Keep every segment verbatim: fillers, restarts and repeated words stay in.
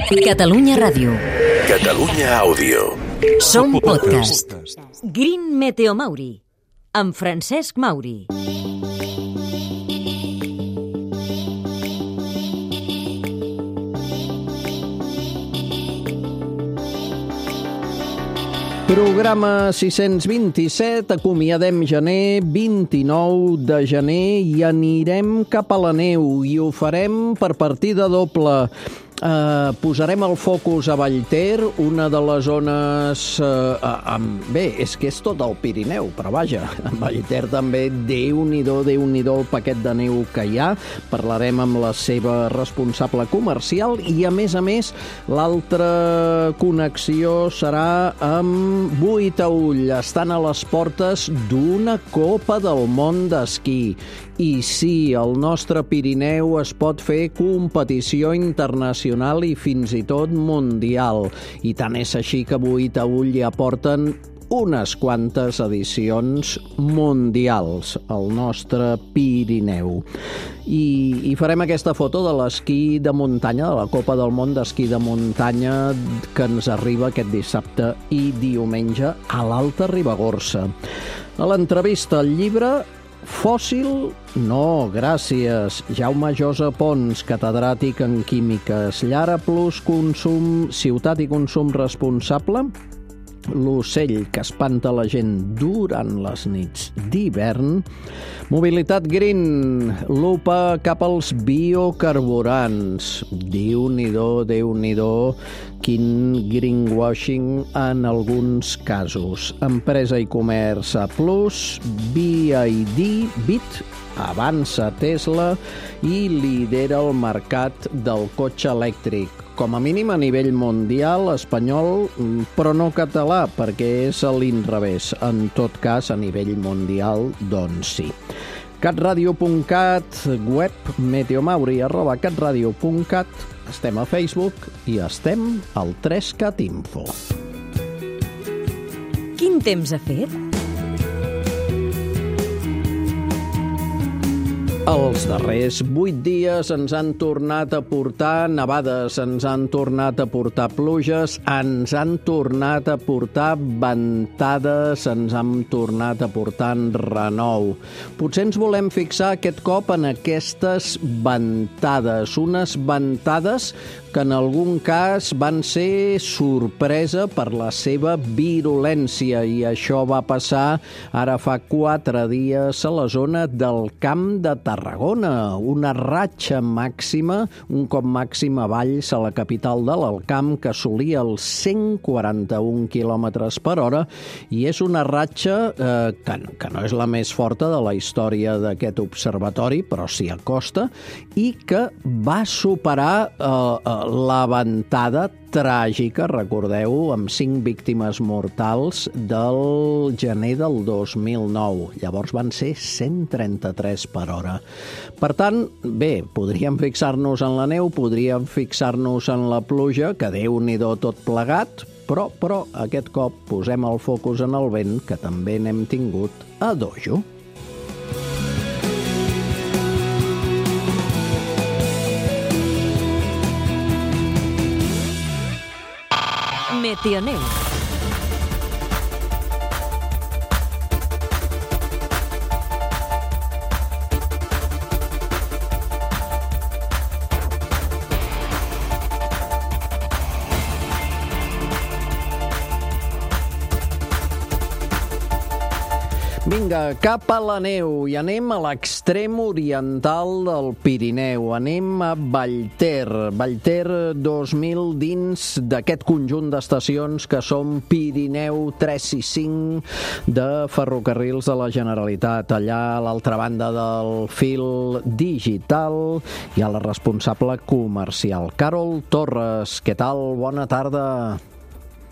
Catalunya Ràdio. Catalunya Àudio. Som podcast. Green Meteo Mauri, amb Francesc Mauri. Programa sis-cents vint-i-set, acomiadem gener, vint-i-nou de gener, i anirem cap a la neu, i ho farem per partida doble. Uh, posarem el focus a Vallter, una de les zones... Uh, uh, um, bé, és que és tot el Pirineu, però vaja, a Vallter també, déu-n'hi-do, déu-n'hi-do el paquet de neu que hi ha. Parlarem amb la seva responsable comercial i, a més a més, l'altra connexió serà amb Buitaüll. Estan a les portes d'una Copa del Món d'esquí. I sí, el nostre Pirineu es pot fer competició internacional i fins i tot mundial. I tant és així que Buitaüll ja porten unes quantes edicions mundials al nostre Pirineu. I, i farem aquesta foto de l'esquí de muntanya, de la Copa del Món d'esquí de muntanya, que ens arriba aquest dissabte i diumenge a l'Alta Ribagorça. A l'entrevista al llibre Fòssil? No, gràcies. Jaume Josa Pons, catedràtic en químiques. Llara Plus Consum, ciutat i consum responsable. L'ocell que espanta la gent durant les nits d'hivern. Mobilitat green, lupa cap als biocarburants. Déu-n'hi-do, Déu-n'hi-do, quin greenwashing en alguns casos. Empresa i comerç A plus, B I D, Bit, avança Tesla i lidera el mercat del cotxe elèctric. Com a mínim a nivell mundial, espanyol, però no català, perquè és a l'inrevés. En tot cas, a nivell mundial, doncs sí. catradio punt cat, web meteomauri arroba catradio punt cat, estem a Facebook i estem al tres cat info. Quin temps ha fet? Els darrers vuit dies ens han tornat a portar nevades, ens han tornat a portar pluges, ens han tornat a portar ventades, ens han tornat a portar renou. Potser ens volem fixar aquest cop en aquestes ventades, unes ventades que en algun cas van ser sorpresa per la seva virulència, i això va passar ara fa quatre dies a la zona del Camp de Tarragona. Una ratxa màxima, un cop màxim a Valls, a la capital de l'Alcamp, que assolia els cent quaranta-un quilòmetres per hora, i és una ratxa eh, que, que no és la més forta de la història d'aquest observatori, però s'hi acosta, i que va superar eh, la ventada tràgica, recordeu, amb cinc víctimes mortals del gener del dos mil nou. Llavors van ser cent trenta-tres per hora. Per tant, bé, podríem fixar-nos en la neu, podríem fixar-nos en la pluja, que Déu-n'hi-do tot plegat, però, però aquest cop posem el focus en el vent, que també n'hem tingut a dojo. Meteoneu. Vinga, cap a la neu, i anem a l'extrem oriental del Pirineu. Anem a Vallter. Vallter dos mil dins d'aquest conjunt d'estacions que són Pirineu tres i cinc de Ferrocarrils de la Generalitat. Allà a l'altra banda del fil digital hi ha la responsable comercial, Carol Torres. Què tal? Bona tarda.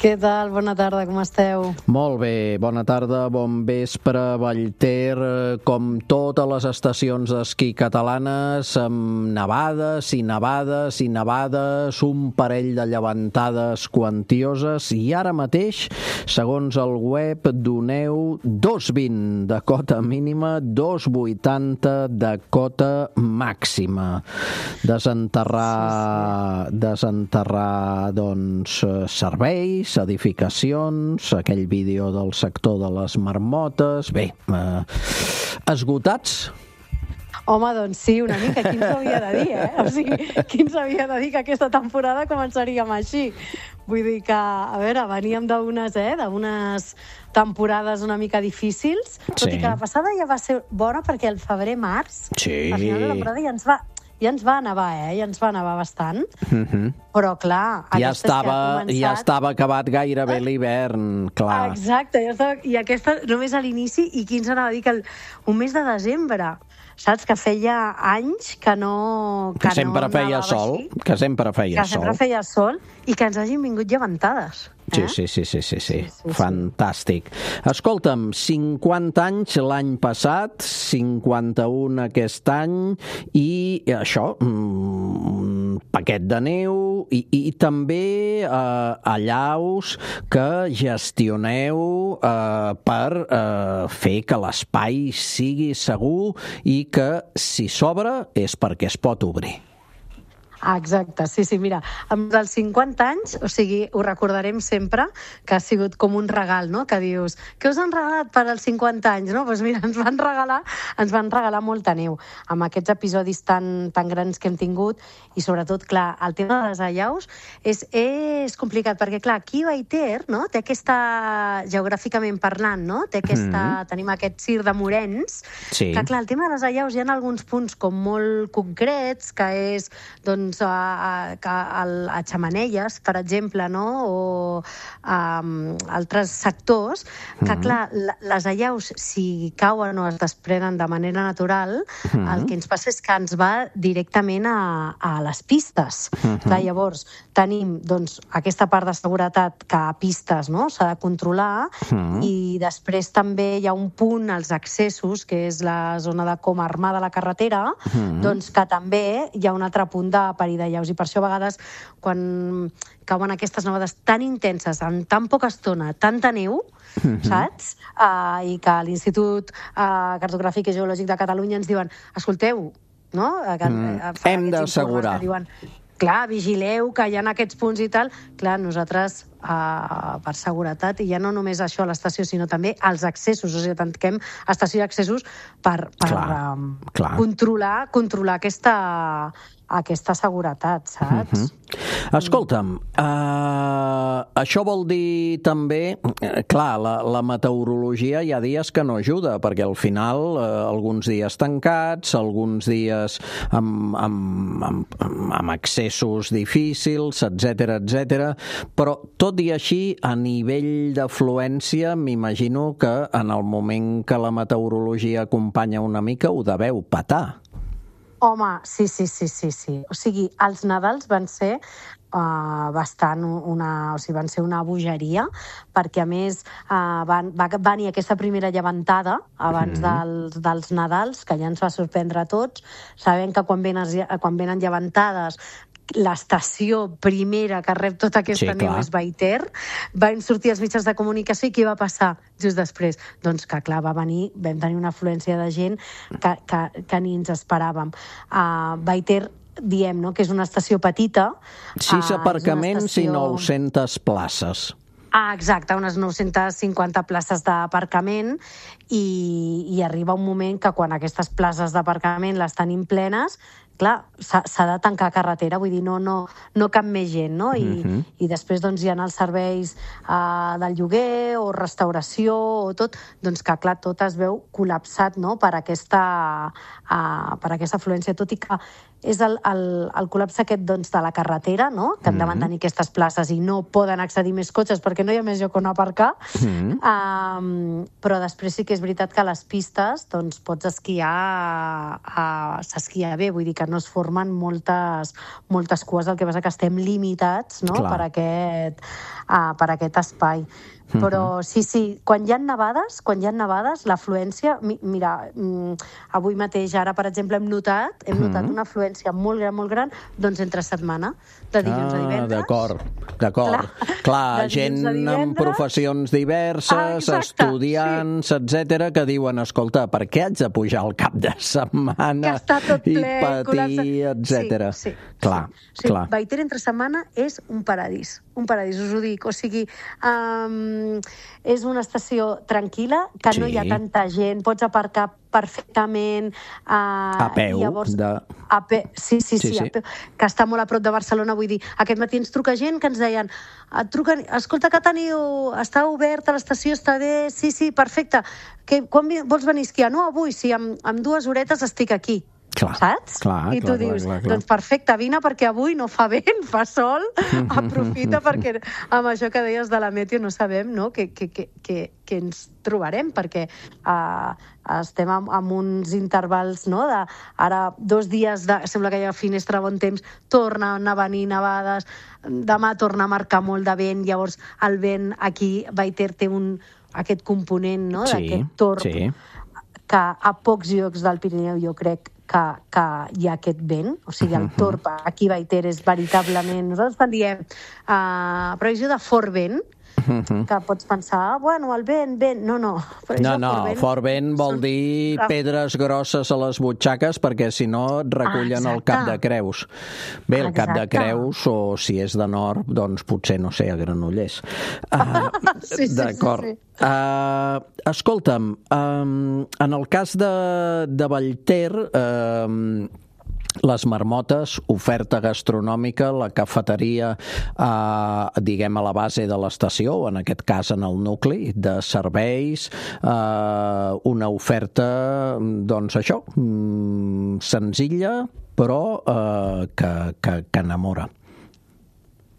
Què tal? Bona tarda, com esteu? Molt bé, bona tarda, bon vespre, Vallter, com totes les estacions d'esquí catalanes, amb nevades i nevades i nevades, un parell de llevantades quantioses, i ara mateix, segons el web, doneu dos coma vint de cota mínima, dos coma vuitanta de cota màxima. Desenterrar, desenterrar, doncs, serveis, edificacions, aquell vídeo del sector de les marmotes... Bé, eh, esgotats? Home, doncs sí, una mica. Qui ens havia de dir, eh? O sigui, qui ens havia de dir que aquesta temporada començaríem així? Vull dir que, a veure, veníem d'unes, eh, d'unes temporades una mica difícils, tot Sí. i que la passada ja va ser bona perquè el febrer-març, Sí. al final de la temporada ja ens va... Ja ens va nevar, eh? Ja ens va nevar bastant. Uh-huh. Però, clar... Ja aquesta és que estava, ha començat... ja estava acabat gairebé l'hivern, clar. Exacte, ja estava... i aquesta només a l'inici, i qui ens anava a dir que el... un mes de desembre, saps? Que feia anys que no... Que, Que sempre no feia nevava sol, així, que sempre feia que sol. sempre feia sol, i que ens hagin vingut llevantades. Sí, Eh? sí, sí, sí, sí, sí. Sí, sí, sí. Fantàstic. Escolta'm, cinquanta anys l'any passat, cinquanta-un aquest any, i això, un paquet de neu, i, i també eh, allaus que gestioneu eh, per eh, fer que l'espai sigui segur i que, si s'obre, és perquè es pot obrir. Ah, exacte, sí, sí, mira, amb els cinquanta anys, o sigui, ho recordarem sempre, que ha sigut com un regal, no?, que dius, què us han regalat per als cinquanta anys, no? Doncs pues mira, ens van regalar, ens van regalar molta neu, amb aquests episodis tan, tan grans que hem tingut, i sobretot, clar, el tema de les allaus és, és complicat, perquè, clar, aquí Vallter, no?, té aquesta, geogràficament parlant, no?, té aquesta, mm. tenim aquest cir de morens, Sí. que, clar, el tema de les allaus hi ha alguns punts com molt concrets, que és, doncs, a, a, a, a Xemeneies, per exemple, no? O a, um, altres sectors, que, mm-hmm. clar, les allaus, si cauen o es desprenen de manera natural, mm-hmm. el que ens passa és que ens va directament a, a les pistes. Mm-hmm. Clar, llavors, tenim doncs, aquesta part de seguretat que a pistes, no?, s'ha de controlar, mm-hmm. i després també hi ha un punt als accessos, que és la zona de Coma Armada de la carretera, mm-hmm. doncs que també hi ha un altre punt de perill de llaus, i per això a vegades quan cauen aquestes nevades tan intenses, en tan poca estona, tanta neu, mm-hmm. saps? Uh, I que l'Institut uh, Cartogràfic i Geològic de Catalunya ens diuen, escolteu, no? Que, mm. uh, Hem d'assegurar. Diuen, clar, vigileu que hi ha aquests punts i tal. Clar, nosaltres, uh, per seguretat, i ja no només això a l'estació, sinó també als accessos, o sigui, tanquem estació i accessos per, per clar, um, clar. controlar, controlar aquesta, aquesta seguretat, saps? Uh-huh. Escolta'm, uh, això vol dir també, eh, clar, la, la meteorologia hi ha dies que no ajuda, perquè al final uh, alguns dies tancats, alguns dies amb, amb, amb, amb accessos difícils, etcètera, etcètera, però tot i així, a nivell d'afluència, m'imagino que en el moment que la meteorologia acompanya una mica ho deveu petar. Home, sí, sí, sí, sí, sí. O sigui, els Nadals van ser uh, bastant una... O sigui, van ser una bogeria, perquè a més uh, van, va venir aquesta primera llevantada abans mm. dels, dels Nadals, que ja ens va sorprendre a tots. Sabem que quan venen, quan venen llevantades l'estació primera que rep tota aquesta sí, neu és Vallter. Van sortir els mitjans de comunicació i què va passar just després? Doncs que, clar, va venir, vam tenir una afluència de gent que, que, que ni ens esperàvem. Uh, Vallter, diem, no?, que és una estació petita. Sis uh, aparcaments estació... i nou-centes places. Ah, exacte, unes nou-centes cinquanta places d'aparcament, i, i arriba un moment que quan aquestes places d'aparcament les tenim plenes, clar, s'ha de tancar carretera, vull dir, no, no, no cap més gent, no? I, uh-huh. i després doncs, hi ha els serveis uh, del lloguer o restauració o tot, doncs que, clar, tot es veu col·lapsat, no?, per aquesta, uh, per aquesta afluència, tot i que és el, el, el col·lapse aquest doncs, de la carretera, no? Que han de mantenir aquestes places i no poden accedir més cotxes perquè no hi ha més lloc on aparcar. Mm-hmm. um, però després sí que és veritat que a les pistes doncs, pots esquiar, uh, s'esquia bé, vull dir que no es formen moltes, moltes cues, el que passa que estem limitats, no? per, aquest, uh, per aquest espai. Però sí, sí, quan hi ha nevades, quan hi ha nevades, l'afluència, mi, mira, mm, avui mateix, ara, per exemple, hem notat, hem notat una afluència molt gran, molt gran, doncs entre setmana, de dilluns ah, a divendres. D'acord, d'acord. Clar, Clar gent amb professions diverses, ah, exacte, estudiants, sí. etcètera, que diuen, escolta, per què haig de pujar al cap de setmana ple, i patir, etcètera. Sí, sí. Clar, sí. clar. Vallter entre setmana és un paradís, un paradís, us ho dic. O sigui, um, és una estació tranquil·la, que sí. no hi ha tanta gent, pots aparcar perfectament. Uh, a peu. Llavors, de... a pe... Sí, sí, sí, sí, sí. A peu, que està molt a prop de Barcelona, vull dir, aquest matí ens truca gent que ens deien, et truquen, escolta, que teniu, està oberta l'estació, està bé, sí, sí, perfecte, que, quan vols venir a esquiar? No, avui, sí, amb, amb dues horetes estic aquí. Clar, saps? Clar, I tu clar, dius, clar, clar. doncs perfecte, vine perquè avui no fa vent, fa sol, aprofita perquè amb això que deies de la meteo no sabem, no?, que, que, que, que, que ens trobarem, perquè uh, estem amb, amb uns intervals, no?, de ara dos dies, de, sembla que hi ha finestra de bon temps, tornen a venir nevades, demà torna a marcar molt de vent, llavors el vent aquí, Vallter té un, aquest component, no?, sí, d'aquest torb, sí. que a pocs llocs del Pirineu jo crec que, que hi ha aquest vent, o sigui, el torb aquí a Vallter és veritablement... Nosaltres quan diem uh, previsió de fort vent, uh-huh. que pots pensar, bueno, el vent, vent... No, no. No, no, fort vent, fort vent vol són... dir pedres grosses a les butxaques perquè si no et recullen ah, el cap de Creus. Bé, el Exacte. Cap de Creus, o si és de nord, doncs potser, no sé, a Granollers. Uh, sí, sí, D'acord. Sí, sí. Uh, escolta'm, um, en el cas de, de Vallter, uh, les marmotes, oferta gastronòmica, la cafeteria, eh, diguem, a la base de l'estació, o en aquest cas en el nucli de serveis, eh, una oferta, doncs això, senzilla, però eh, que, que, que enamora.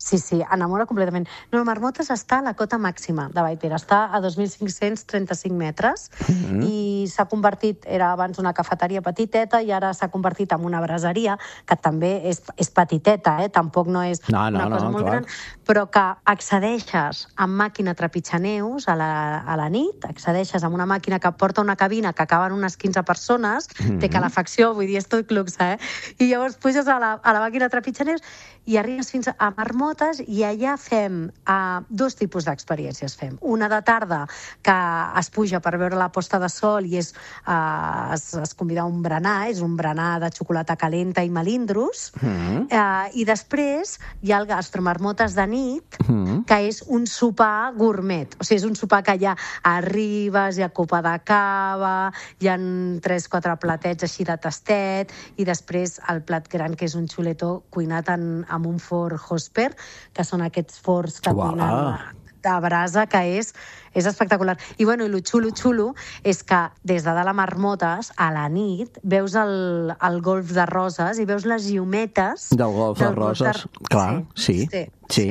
Sí, sí, enamora completament. No, Marmotes està a la cota màxima de Vallter, està a dos mil cinc-cents trenta-cinc metres mm-hmm. i s'ha convertit, era abans una cafeteria petiteta i ara s'ha convertit en una braseria, que també és, és petiteta, eh? Tampoc no és no, no, una cosa no, molt clar. gran, però que accedeixes amb màquina trepitjaneus a la, a la nit, accedeixes amb una màquina que porta una cabina que acaben unes quinze persones, mm-hmm. té calefacció, vull dir, és tot luxe, eh? I llavors puges a la, a la màquina trepitjaneus i arribes fins a Marmotes i allà fem uh, dos tipus d'experiències. Fem una de tarda que es puja per veure la posta de sol i és, uh, es, es convida a un berenar, és un berenar de xocolata calenta i melindros, mm. uh, i després hi ha el gastromarmotes de nit, mm. que és un sopar gourmet. O sigui, és un sopar que ja arribes, hi ha copa de cava, hi ha tres quatre platets així de tastet, i després el plat gran, que és un xuletó cuinat en amb un forn Hosper, que són aquests forns que Uau. tenen de brasa, que és, és espectacular. I, bueno, i el xulo, xulo, és que des de dalt a Marmotes, a la nit, veus el, el golf de Roses i veus les llumetes... Del golf del de Roses, de... clar, sí. sí. Sí.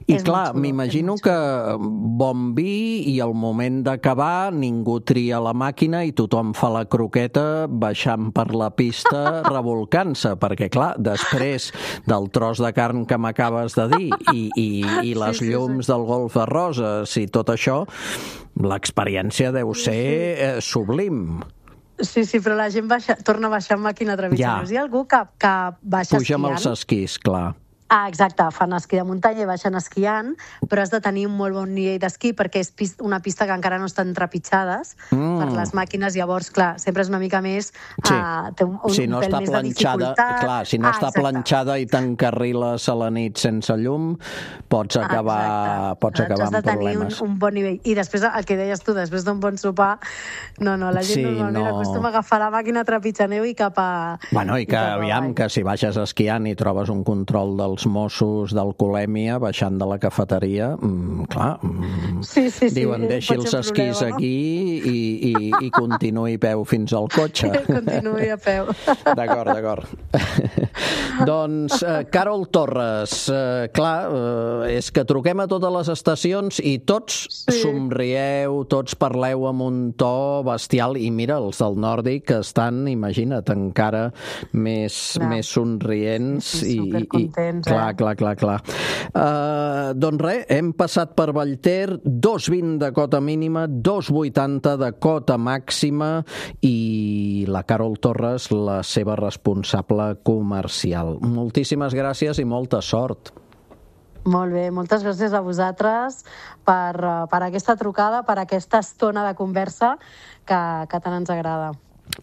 I és clar, m'imagino que bon vi i al moment d'acabar ningú tria la màquina i tothom fa la croqueta baixant per la pista revolcant-se, perquè clar, després del tros de carn que m'acabes de dir i, i, i les sí, sí, llums sí. del golf de Roses i tot això, l'experiència deu ser eh, sublim. Sí, sí, però la gent baixa, torna a baixar amb màquina trepitjaneus. Ja. Hi ha algú que, que baixa Puja esquiant. Puja amb els esquís, clar. Ah, exacte, fan esquí de muntanya i baixen esquiant, però has de tenir un molt bon nivell d'esquí perquè és pista, una pista que encara no estan trepitjades mm. per les màquines, llavors, clar, sempre és una mica més... Sí. Uh, té un, un, si no un pèl està més planxada, de dificultat. Clar, si no ah, està exacte. planxada i t'encarriles a la nit sense llum, pots acabar, ah, pots acabar amb problemes. Has de tenir un, un bon nivell. I després, el que deies tu, després d'un bon sopar, no, no, la gent sí, normalment no... acostuma a agafar la màquina trepitjaneu i cap a... Bueno, i que, i aviam, que si baixes esquiant i trobes un control del els Mossos d'alcoholèmia baixant de la cafeteria, mm, clar, mm, sí, sí, sí, diuen deixi els esquís problema, no? aquí i, i, i continuï a peu fins al cotxe. Continuï a peu. D'acord, d'acord. Doncs, eh, Carol Torres, eh, clar, eh, és que truquem a totes les estacions i tots sí. somrieu, tots parleu amb un to bestial, i mira, els del Nòrdic estan, imagina't, encara més, més somrients sí, sí, i, i clar, eh? clar, clar, clar. Uh, doncs res, hem passat per Vallter, dos vint de cota mínima, dos vuitanta de cota màxima, i la Carol Torres, la seva responsable comercial. Moltíssimes gràcies i molta sort. Molt bé, moltes gràcies a vosaltres per, per aquesta trucada, per aquesta estona de conversa que, que tant ens agrada.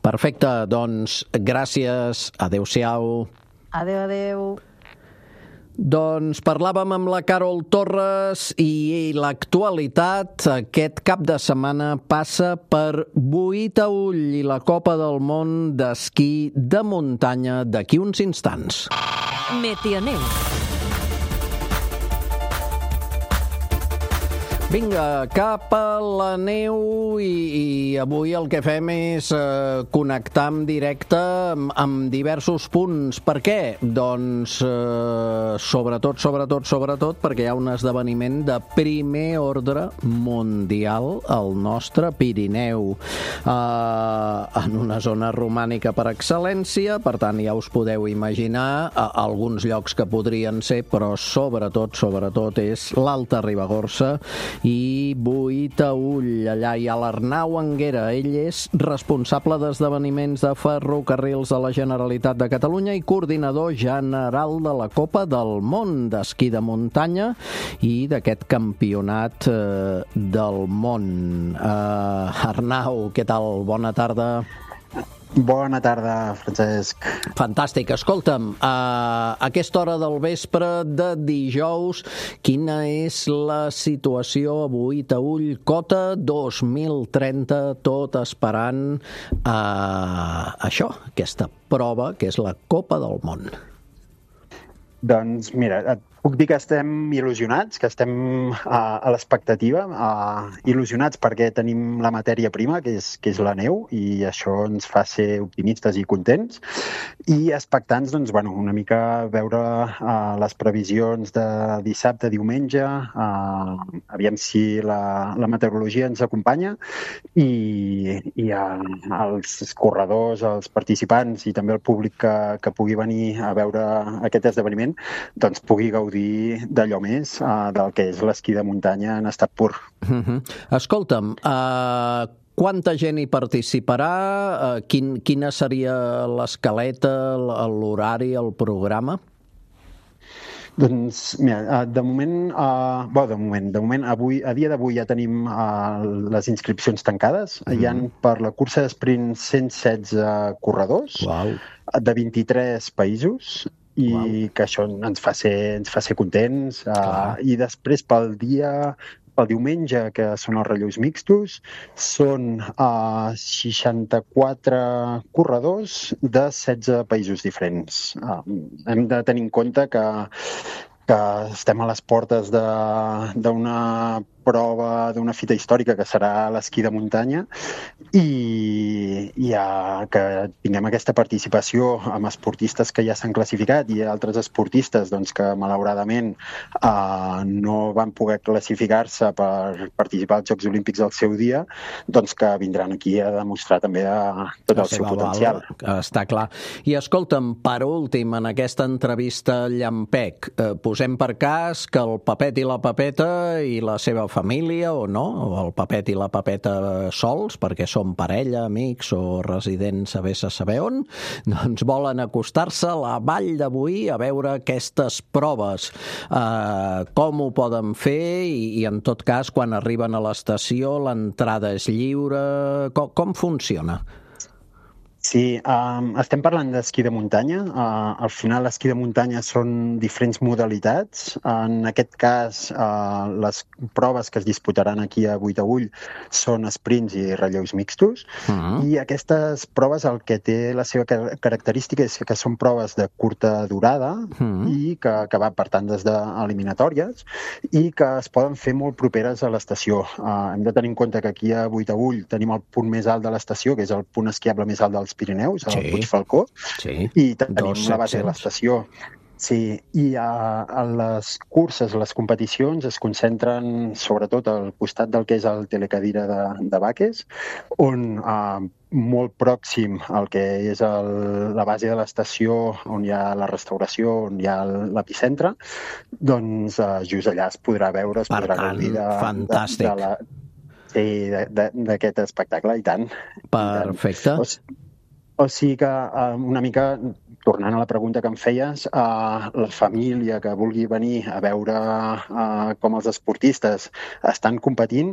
Perfecte, doncs gràcies, adeu-siau. Adeu, adeu. Doncs parlàvem amb la Carol Torres i l'actualitat aquest cap de setmana passa per Boí-Taüll i la Copa del Món d'esquí de muntanya d'aquí uns instants. Meteoneus. Vinga, cap a la neu i, i avui el que fem és eh, connectar en directe amb, amb diversos punts. Per què? Doncs eh, sobretot, sobretot, sobretot perquè hi ha un esdeveniment de primer ordre mundial al nostre Pirineu. Eh, en una zona romànica per excel·lència, per tant ja us podeu imaginar eh, alguns llocs que podrien ser, però sobretot, sobretot és l'Alta Ribagorça i Boí-Taüll. Allà hi ha l'Arnau Anguera. Ell és responsable d'esdeveniments de ferrocarrils de la Generalitat de Catalunya i coordinador general de la Copa del Món d'esquí de muntanya i d'aquest campionat eh, del món. Eh, Arnau, què tal? Bona tarda. Bona tarda, Francesc. Fantàstic. Escolta'm, a aquesta hora del vespre de dijous, quina és la situació a Boí-Taüll? Cota dos mil trenta, tot esperant uh, això, aquesta prova, que és la Copa del Món. Doncs mira, et puc dir que estem il·lusionats, que estem a, a l'expectativa, il·lusionats perquè tenim la matèria prima, que és, que és la neu, i això ens fa ser optimistes i contents, i expectants, doncs, bueno, una mica veure uh, les previsions de dissabte, diumenge, uh, aviam si la, la meteorologia ens acompanya, i, i uh, els corredors, els participants i també el públic que, que pugui venir a veure aquest esdeveniment, doncs pugui gaudir d'allò més, uh, del que és l'esquí de muntanya en estat pur. Uh-huh. Escolta'm, uh, quanta gent hi participarà? Uh, quin, quina seria l'escaleta, l'horari, el programa? Doncs, mira, de moment, uh, bo, de moment, de moment, avui, a dia d'avui ja tenim uh, les inscripcions tancades. Mm. Hi ha per la cursa d'esprint cent setze corredors. Wow. De vint-i-tres països, i wow. que això ens fa ser, ens fa ser contents. Uh, I després pel dia, pel diumenge, que són els relleus mixtos, són uh, seixanta-quatre corredors de setze països diferents. Uh, hem de tenir en compte que, que estem a les portes d'una prova, d'una fita històrica que serà l'esquí de muntanya, i ja que tinguem aquesta participació amb esportistes que ja s'han classificat i altres esportistes doncs, que malauradament eh, no van poder classificar-se per participar als Jocs Olímpics al seu dia, doncs que vindran aquí a demostrar també de, tot el seu potencial. Val, està clar. I escolta'm, per últim, en aquesta entrevista llampec, eh, posem per cas que el Papet i la Papeta i la seva família, o no, o el Papet i la Papeta sols, perquè són parella, amics o residents a vés a saber on, doncs volen acostar-se a la Vall de Boí a veure aquestes proves. Eh, com ho poden fer i, i en tot cas, quan arriben a l'estació, l'entrada és lliure? Com, com funciona? Sí, um, estem parlant d'esquí de muntanya. Uh, al final, l'esquí de muntanya són diferents modalitats. En aquest cas, uh, les proves que es disputaran aquí a Boitaüll són sprints i relleus mixtos. Uh-huh. I aquestes proves el que té la seva característica és que són proves de curta durada uh-huh. i que, que va, per tant, des d'eliminatòries i que es poden fer molt properes a l'estació. Uh, hem de tenir en compte que aquí a Boitaüll tenim el punt més alt de l'estació, que és el punt esquiable més alt dels Pirineus, al sí. Puig Falcó, sí. i tenim la base de l'estació. Sí, i a, a les curses, les competicions, es concentren sobretot al costat del que és el telecadira de, de Baques, on uh, molt pròxim al que és el, la base de l'estació, on hi ha la restauració, on hi ha l'epicentre, doncs uh, just allà es podrà veure, es per podrà tant, gaudir de, fantàstic. de, de la... Sí, d'aquest espectacle, i tant. Perfecte. I tant. O, o sigui que uh, una mica, tornant a la pregunta que em feies, uh, la família que vulgui venir a veure uh, com els esportistes estan competint,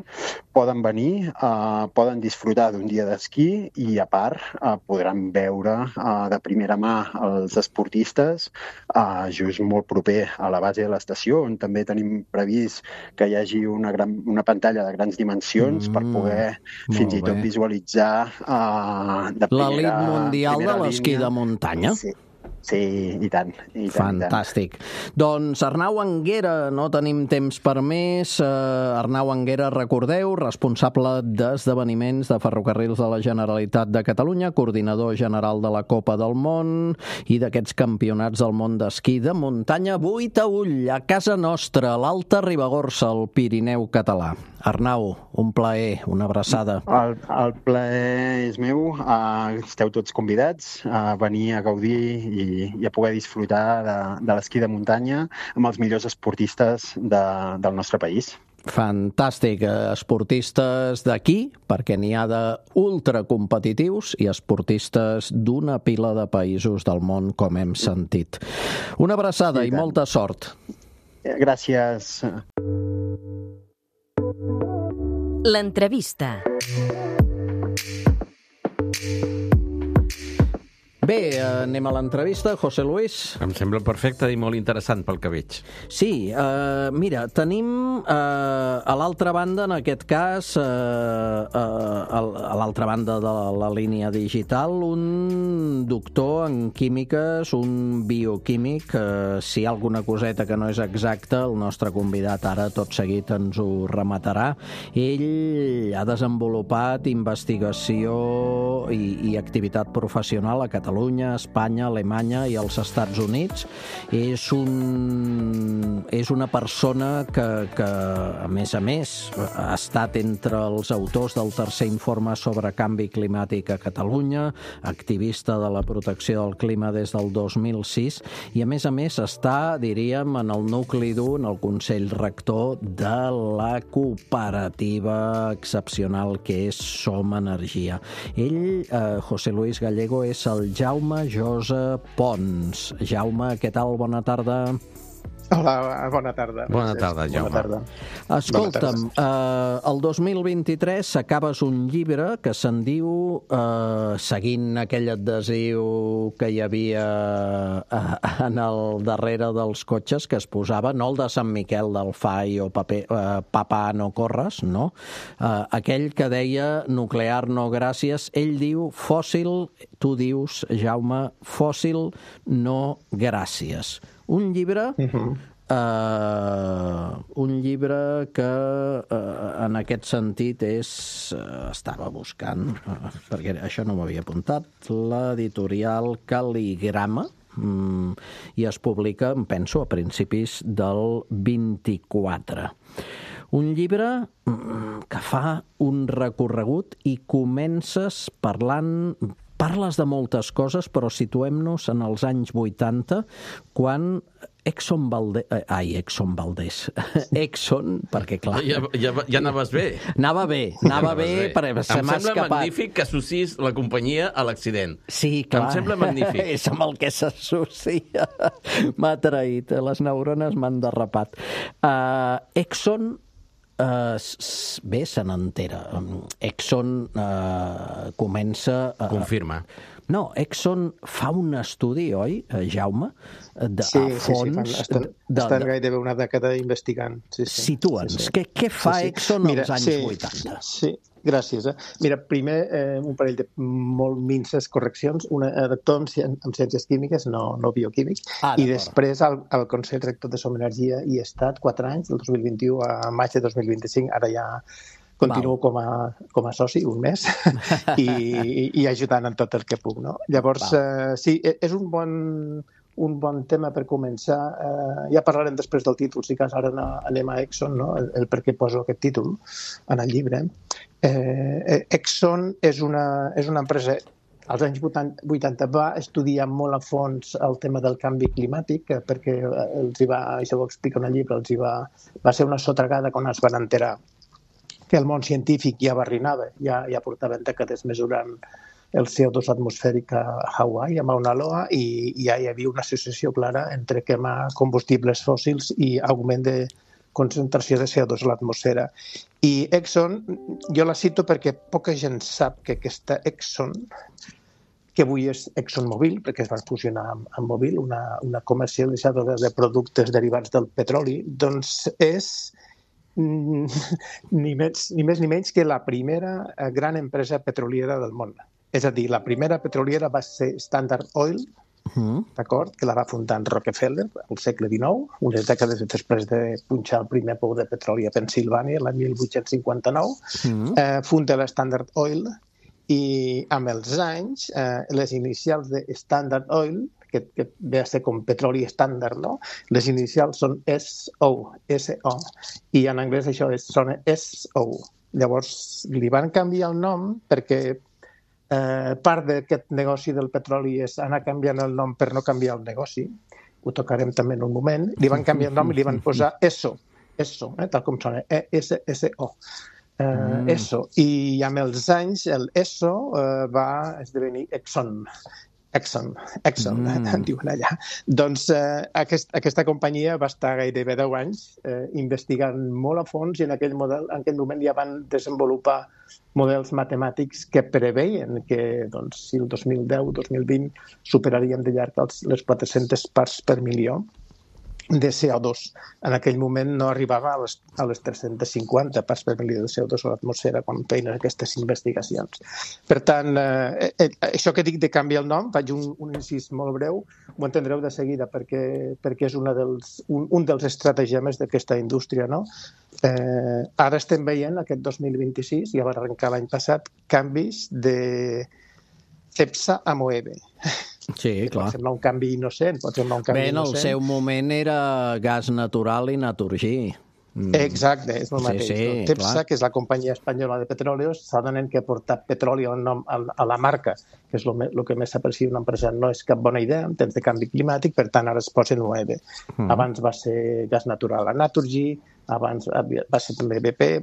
poden venir, uh, poden disfrutar d'un dia d'esquí i, a part, uh, podran veure uh, de primera mà els esportistes uh, just molt proper a la base de l'estació, on també tenim previst que hi hagi una, gran, una pantalla de grans dimensions mm, per poder fins i tot bé. visualitzar uh, de primera... L'elit mundial de l'esquí de muntanya? Sí. Sí, i tant. I tant Fantàstic. I tant. Doncs Arnau Anguera, no tenim temps per més. Uh, Arnau Anguera, recordeu, responsable d'esdeveniments de Ferrocarrils de la Generalitat de Catalunya, coordinador general de la Copa del Món i d'aquests campionats del món d'esquí de muntanya. Boitaüll, a casa nostra, l'Alta Ribagorça, el Pirineu català. Arnau, un plaer, una abraçada. El, el plaer és meu. Uh, esteu tots convidats a venir a gaudir i, i a poder disfrutar de, de l'esquí de muntanya amb els millors esportistes de, del nostre país. Fantàstic. Esportistes d'aquí, perquè n'hi ha d'ultracompetitius, i esportistes d'una pila de països del món, com hem sentit. Una abraçada i, i molta sort. Gràcies. L'entrevista. Bé, anem a l'entrevista. José Luis. Em sembla perfecte i molt interessant pel que veig. Sí, eh, mira, tenim eh, a l'altra banda, en aquest cas, eh, eh, a l'altra banda de la línia digital, un doctor en químiques, un bioquímic. Eh, si hi ha alguna coseta que no és exacta, el nostre convidat ara tot seguit ens ho rematarà. Ell ha desenvolupat investigació i, i activitat professional a Catalunya, Catalunya, Espanya, Alemanya i els Estats Units. És, un, és una persona que, que, a més a més, ha estat entre els autors del tercer informe sobre canvi climàtic a Catalunya, activista de la protecció del clima des del dos mil sis, i a més a més està, diríem, en el nucli dur, en el Consell Rector de la cooperativa excepcional que és Som Energia. Ell, eh, José Luis Gallego, és el Jaume Josa Pons. Jaume, què tal? Bona tarda. Hola, bona tarda. Bona tarda, Jaume. Bona tarda. Escolta'm, eh, el dos mil vint-i-tres s'acabes un llibre que se'n diu, eh, seguint aquell adhesiu que hi havia eh, en el darrere dels cotxes que es posava, no el de Sant Miquel del Fai o paper, eh, Papà no corres, no? Eh, aquell que deia nuclear no gràcies, ell diu fòssil, tu dius, Jaume, fòssil no gràcies. Un llibre, uh-huh. uh, un llibre que uh, en aquest sentit és, uh, estava buscant, uh, perquè això no m'havia apuntat, l'editorial Cal·ligrama, um, i es publica, em penso, a principis del vint-i-quatre. Un llibre um, que fa un recorregut i comences parlant... Parles de moltes coses, però situem-nos en els anys vuitanta, quan Exxon Valdez... Ai, Exxon Valdez. Exxon, perquè clar... Ja, ja, ja anaves bé. Anava bé, anava bé, bé. Perquè se m'ha escapat. Em sembla magnífic que associs la companyia a l'accident. Sí, clar. Em sembla magnífic. És amb el que s'associa. M'ha traït, les neurones m'han derrapat. Uh, Exxon eh, bé, se n'entera. Exxon eh, comença... A... Confirma. No, Exxon fa un estudi, oi, Jaume? De, sí, a fons, sí, sí, estan, de, estan de... gairebé una dècada investigant. Sí, sí. Situa'ns, sí, sí. Què, què fa sí, sí. Exxon Mira, als anys sí, vuitanta? Sí, gràcies. Eh? Mira, primer, eh, un parell de molt minces correccions. Una, eh, doctor en, ci en ciències químiques, no, no bioquímic, ah, i després al, al Consell Rector de Som Energia hi he estat quatre anys, del dos mil vint-i-u a maig de dos mil vint-i-cinc, ara ja continuo com a, com a soci un mes i, i, i ajudant en tot el que puc. No? Llavors, eh, sí, és un bon, un bon tema per començar. Eh, ja parlarem després del títol, si cas ara anem a Exxon, no? el, el per què poso aquest títol en el llibre. Eh, Exxon és una, és una empresa als anys vuitanta va estudiar molt a fons el tema del canvi climàtic, perquè els hi va, això ho explica en el llibre, els hi va, va ser una sotragada quan es van enterar que el món científic ja barrinava, ja, ja portaven dècades mesurant el C O dos atmosfèric a Hawaii, a Mauna Loa, i, i ja hi havia una associació clara entre quemar combustibles fòssils i augment de concentració de C O dos a l'atmosfera. I Exxon, jo la cito perquè poca gent sap que aquesta Exxon, que avui és ExxonMobil, perquè es van fusionar amb, amb Mobil, una, una comercialitzadora de productes derivats del petroli, doncs és ni més, ni més ni menys que la primera gran empresa petroliera del món. És a dir, la primera petroliera va ser Standard Oil, uh-huh. d'acord, que la va fundar en Rockefeller al segle dinou, unes dècades després de punxar el primer pou de petroli a Pensilvània, l'any mil vuit-cents cinquanta-nou. Uh-huh. eh, funda la Standard Oil i amb els anys, eh, les inicials de Standard Oil, que, que ve a ser com petroli estàndard, no? Les inicials són S O, S O, i en anglès això és, sona S O. Llavors li van canviar el nom perquè eh, part d'aquest negoci del petroli és anar canviant el nom per no canviar el negoci. Ho tocarem també en un moment. Li van canviar el nom i li van posar E S O, E S O, eh, tal com sona, E S S O. Eh, mm. E S O. I amb els anys el E S O eh, va esdevenir Exxon. Exxon, Exxon, mm. eh, diuen allà. Doncs eh, aquest, aquesta companyia va estar gairebé deu anys eh, investigant molt a fons i en aquell, model, en aquell moment ja van desenvolupar models matemàtics que preveien que doncs, si el dos mil deu dos mil vint superaríem de llarg els, les quatre-centes parts per milió de C O dos. En aquell moment no arribava a les, a les tres-centes cinquanta parts per milió de C O dos a l'atmosfera quan feien aquestes investigacions. Per tant, eh, eh, això que dic de canviar el nom, faig un, un incís molt breu, ho entendreu de seguida perquè, perquè és una dels, un, un dels estratagemes d'aquesta indústria. No? Eh, ara estem veient, aquest dos mil vint-i-sis, ja va arrencar l'any passat, canvis de Cepsa a Moeve. Sí, clar. Pot semblar un canvi innocent, pot semblar un canvi Bé, en el innocent. seu moment era gas natural i Naturgy. Mm. Exacte, és el mateix. Sí, sí, no? Cepsa, clar. que és la companyia espanyola de petróleos, s'adonen que portar petroli al nom a, a la marca, que és el que més s'aprecia una empresa, no és cap bona idea en temps de canvi climàtic, per tant ara es posen Moeve. Mm. Abans va ser gas natural a Naturgy, abans va ser també B P.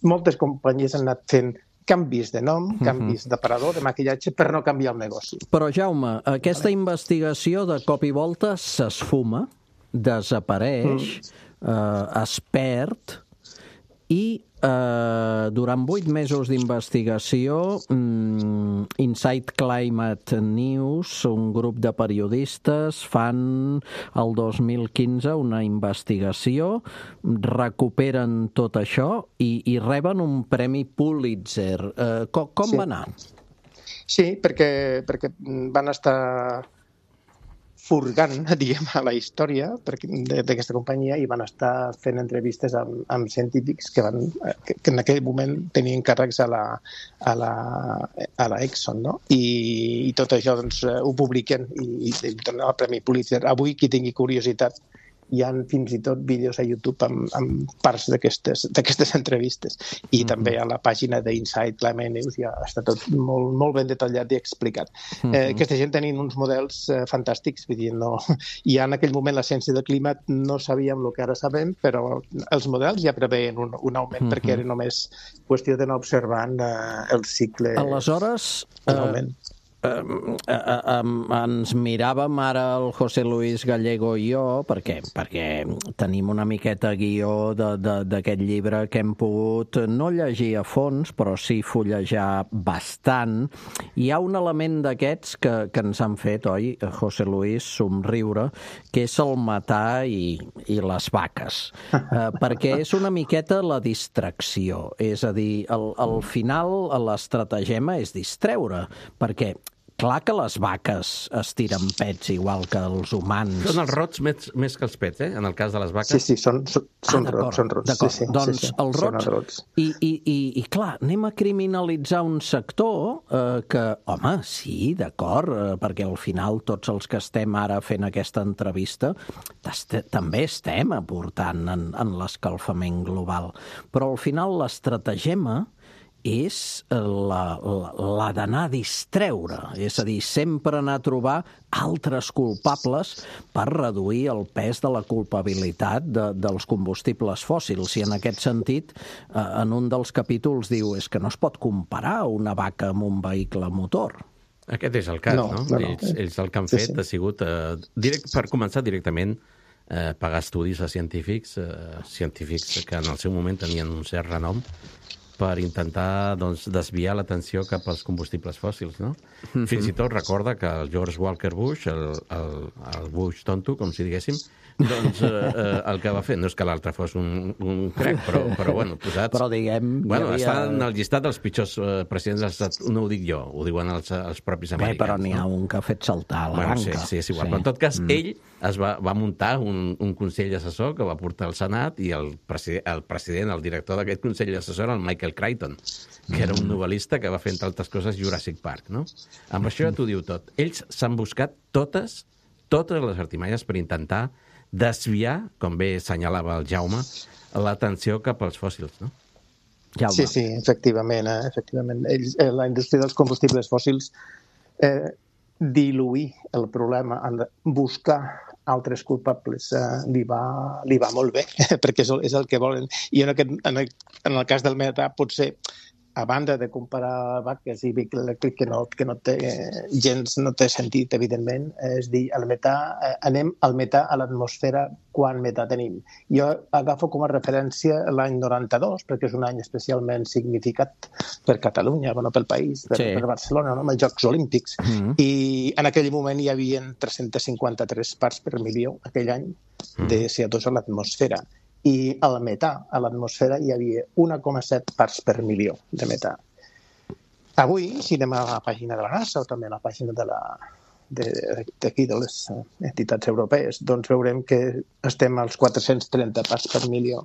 Moltes companyies han anat fent canvis de nom, canvis uh-huh. d'aparador, de maquillatge, per no canviar el negoci. Però, Jaume, aquesta investigació de cop i volta s'esfuma, desapareix, mm. eh, es perd, i eh, durant vuit mesos d'investigació, mm, Inside Climate News, un grup de periodistes, fan el dos mil quinze una investigació, recuperen tot això i, i reben un premi Pulitzer. Eh, com com sí. va anar? Sí, perquè, perquè van estar furgant, diguem, a la història d'aquesta companyia i van estar fent entrevistes amb, amb científics que, van, que, que en aquell moment tenien càrrecs a la, a la, a la Exxon, no? I, i tot això doncs, ho publiquen i, i donen el Premi Pulitzer. Avui, qui tingui curiositat, hi ha fins i tot vídeos a YouTube amb, amb parts d'aquestes entrevistes. I mm-hmm. també a la pàgina d'Inside Climate News ja està tot molt, molt ben detallat i explicat. Mm-hmm. Eh, aquesta gent tenien uns models eh, fantàstics, vull dir, no, ja en aquell moment la ciència del clima no sabíem el que ara sabem, però els models ja preveien un, un augment, mm-hmm. perquè era només qüestió d'anar observant eh, el cicle. Aleshores, un augment. Eh, eh, eh, eh, ens miràvem ara el José Luis Gallego i jo, perquè, perquè tenim una miqueta guió d'aquest llibre que hem pogut no llegir a fons, però sí fullejar bastant. Hi ha un element d'aquests que, que ens han fet, oi, José Luis, somriure, que és el matar i, i les vaques. Eh, perquè és una miqueta la distracció. És a dir, al, al final l'estratagema és distreure, perquè clar que les vaques estiren pets igual que els humans. Són els rots més, més que els pets, eh? En el cas de les vaques. Sí, sí, són, són, són ah, rots, són rots. D'acord, sí, sí, doncs sí, sí. els rots... els rots. I, i, i, I clar, anem a criminalitzar un sector eh, que, home, sí, d'acord, eh, perquè al final tots els que estem ara fent aquesta entrevista també estem aportant en, en l'escalfament global. Però al final l'estratagema és la, la, la d'anar a distreure, és a dir, sempre anar a trobar altres culpables per reduir el pes de la culpabilitat de, dels combustibles fòssils. I en aquest sentit, eh, en un dels capítols diu és que no es pot comparar una vaca amb un vehicle motor. Aquest és el cas, no? No, no? no, no. Ells, ells el que han Sí, fet sí. ha sigut, eh, direct, per començar directament, eh, pagar estudis a científics, eh, científics que en el seu moment tenien un cert renom, per intentar doncs, desviar l'atenció cap als combustibles fòssils, no? Mm-hmm. Fins i tot recorda que el George Walker Bush, el, el, el Bush tonto, com si diguéssim, doncs eh, eh, el que va fer, no és que l'altre fos un, un crec, però, però bueno, posats... Però diguem... Bueno, havia... està en el llistat dels pitjors eh, presidents dels Estats Units, no ho dic jo, ho diuen els, els propis Bé, americans. però n'hi ha no? un que ha fet saltar la Bueno, banca. sí, sí, és igual. Sí. Però en tot cas, Mm. ell es va, va muntar un, un consell assessor que va portar al Senat i el, preside, el president, el director d'aquest consell assessor, el Michael Crichton, que era un novel·lista que va fer, entre altres coses, Jurassic Park, no? Amb això ja t'ho diu tot. Ells s'han buscat totes, totes les artimalles per intentar desviar, com bé assenyalava el Jaume, l'atenció cap als fòssils, no? Jaume. Sí, sí, efectivament. Eh? efectivament. Ells, eh, la indústria dels combustibles fòssils eh, diluir el problema, buscar altres culpables, eh, li, va, li va molt bé, perquè és el, és el que volen. I en, aquest, en, el, en el cas del metà, potser, a banda de comparar vaques i vehicle elèctric, que no, que no té gens, no té sentit, evidentment, és dir, el metà, eh, anem al metà a l'atmosfera quan metà tenim. Jo agafo com a referència l'any noranta-dos, perquè és un any especialment significat per Catalunya, bueno, pel país, per, sí. per Barcelona, no? amb els Jocs Olímpics. Mm-hmm. I en aquell moment hi havia tres-cents cinquanta-tres parts per milió, aquell any, de C O dos a l'atmosfera. I al metà, a l'atmosfera, hi havia un coma set parts per milió de metà. Avui, si anem a la pàgina de la NASA o també a la pàgina de la d'aquí de les entitats europees, doncs veurem que estem als quatre-cents trenta parts per milió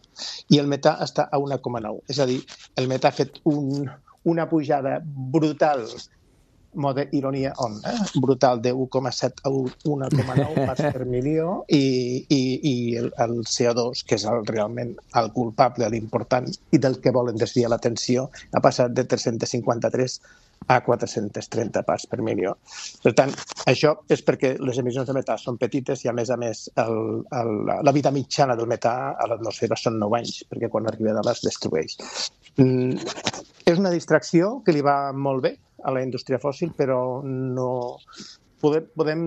i el metà està a un coma nou. És a dir, el metà ha fet un, una pujada brutal, mode ironia on, eh? brutal de un coma set a un coma nou parts per milió i, i, i el, el C O dos, que és el, realment el culpable, l'important i del que volen desviar l'atenció, ha passat de tres-cents cinquanta-tres a quatre-cents trenta parts per milió. Per tant, això és perquè les emissions de metà són petites i, a més a més, el, el, la vida mitjana del metà a l'atmosfera són nou anys, perquè quan arriba a les destrueix. Mm, és una distracció que li va molt bé a la indústria fòssil, però no podem, podem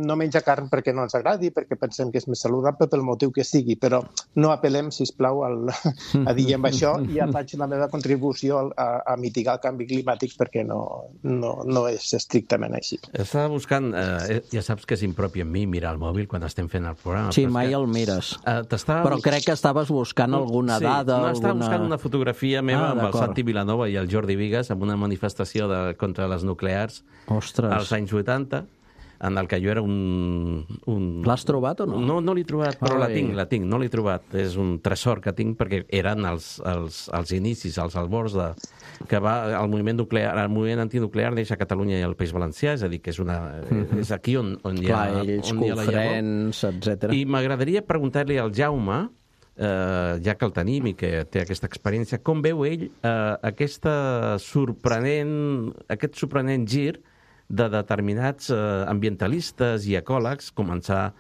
no menjar carn perquè no ens agradi, perquè pensem que és més saludable pel motiu que sigui, però no apel·lem, sisplau, al, a dir amb això ja faig la meva contribució a, a mitigar el canvi climàtic perquè no, no, no és estrictament així. Estava buscant, eh, ja saps que és impropi en mi mirar el mòbil quan estem fent el programa. Sí, mai que... el mires. Eh, però crec que estaves buscant no, alguna sí, dada. No, estava alguna... buscant una fotografia meva ah, amb el Santi Vilanova i el Jordi Vigas en una manifestació de, contra les nuclears. Ostres. Als anys vuitanta, en el que jo era un... un... L'has trobat o no? No, no l'he trobat, però Ai. la tinc, la tinc, no l'he trobat. És un tresor que tinc perquè eren els, els, els inicis, els albors de, que va el moviment nuclear, el moviment antinuclear neix a Catalunya i al País Valencià, és a dir, que és, una, mm-hmm. és aquí on, on hi ha, Clar, ells, on hi ha la Cofrents, etcètera. I m'agradaria preguntar-li al Jaume, eh, ja que el tenim i que té aquesta experiència, com veu ell eh, aquesta sorprenent, aquest sorprenent gir de determinats eh, ambientalistes i ecòlegs, començar,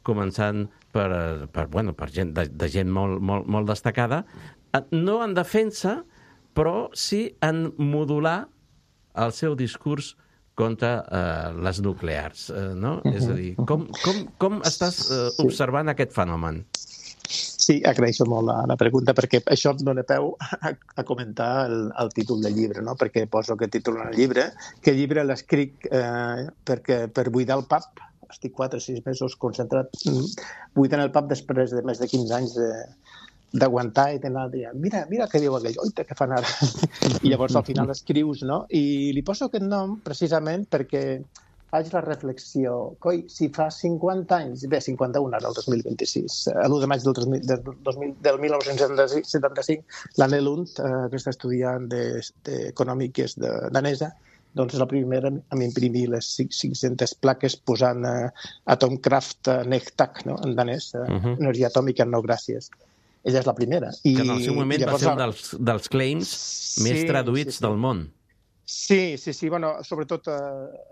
començant per, per, bueno, per gent, de, de gent molt, molt, molt destacada, no en defensa, però sí en modular el seu discurs contra uh, les nuclears, uh, no? Uh-huh. És a dir, com, com, com estàs uh, observant sí. aquest fenomen? Sí, agraeixo molt la, la pregunta, perquè això em dona peu a, a comentar el, el títol del llibre, no? Perquè poso aquest títol en el llibre, que el llibre l'escric eh, perquè, per buidar el pub. Estic quatre o sis mesos concentrat buidant el pub després de més de quinze anys de, d'aguantar i d'anar dient, mira, mira què diu aquell, oita, què fan ara? I llavors al final escrius, no? I li poso aquest nom precisament perquè faig la reflexió, coi, si fa cinquanta anys, bé, cinquanta-un ara, el dos mil vint-i-sis, l'u de maig del, dos mil, del, dos mil, del mil nou-cents setanta-cinc, l'Anne Lund, eh, aquesta estudiant d'econòmic que és de, danesa, doncs és la primera a imprimir les cinc-centes plaques posant eh, Atomkraft eh, Nektak, no? En danès, eh, uh-huh. energia atòmica, no gràcies. Ella és la primera. I, que en el seu moment va ser un dels, dels claims sí, més traduïts sí, sí. del món. Sí, sí, sí, bueno, sobretot a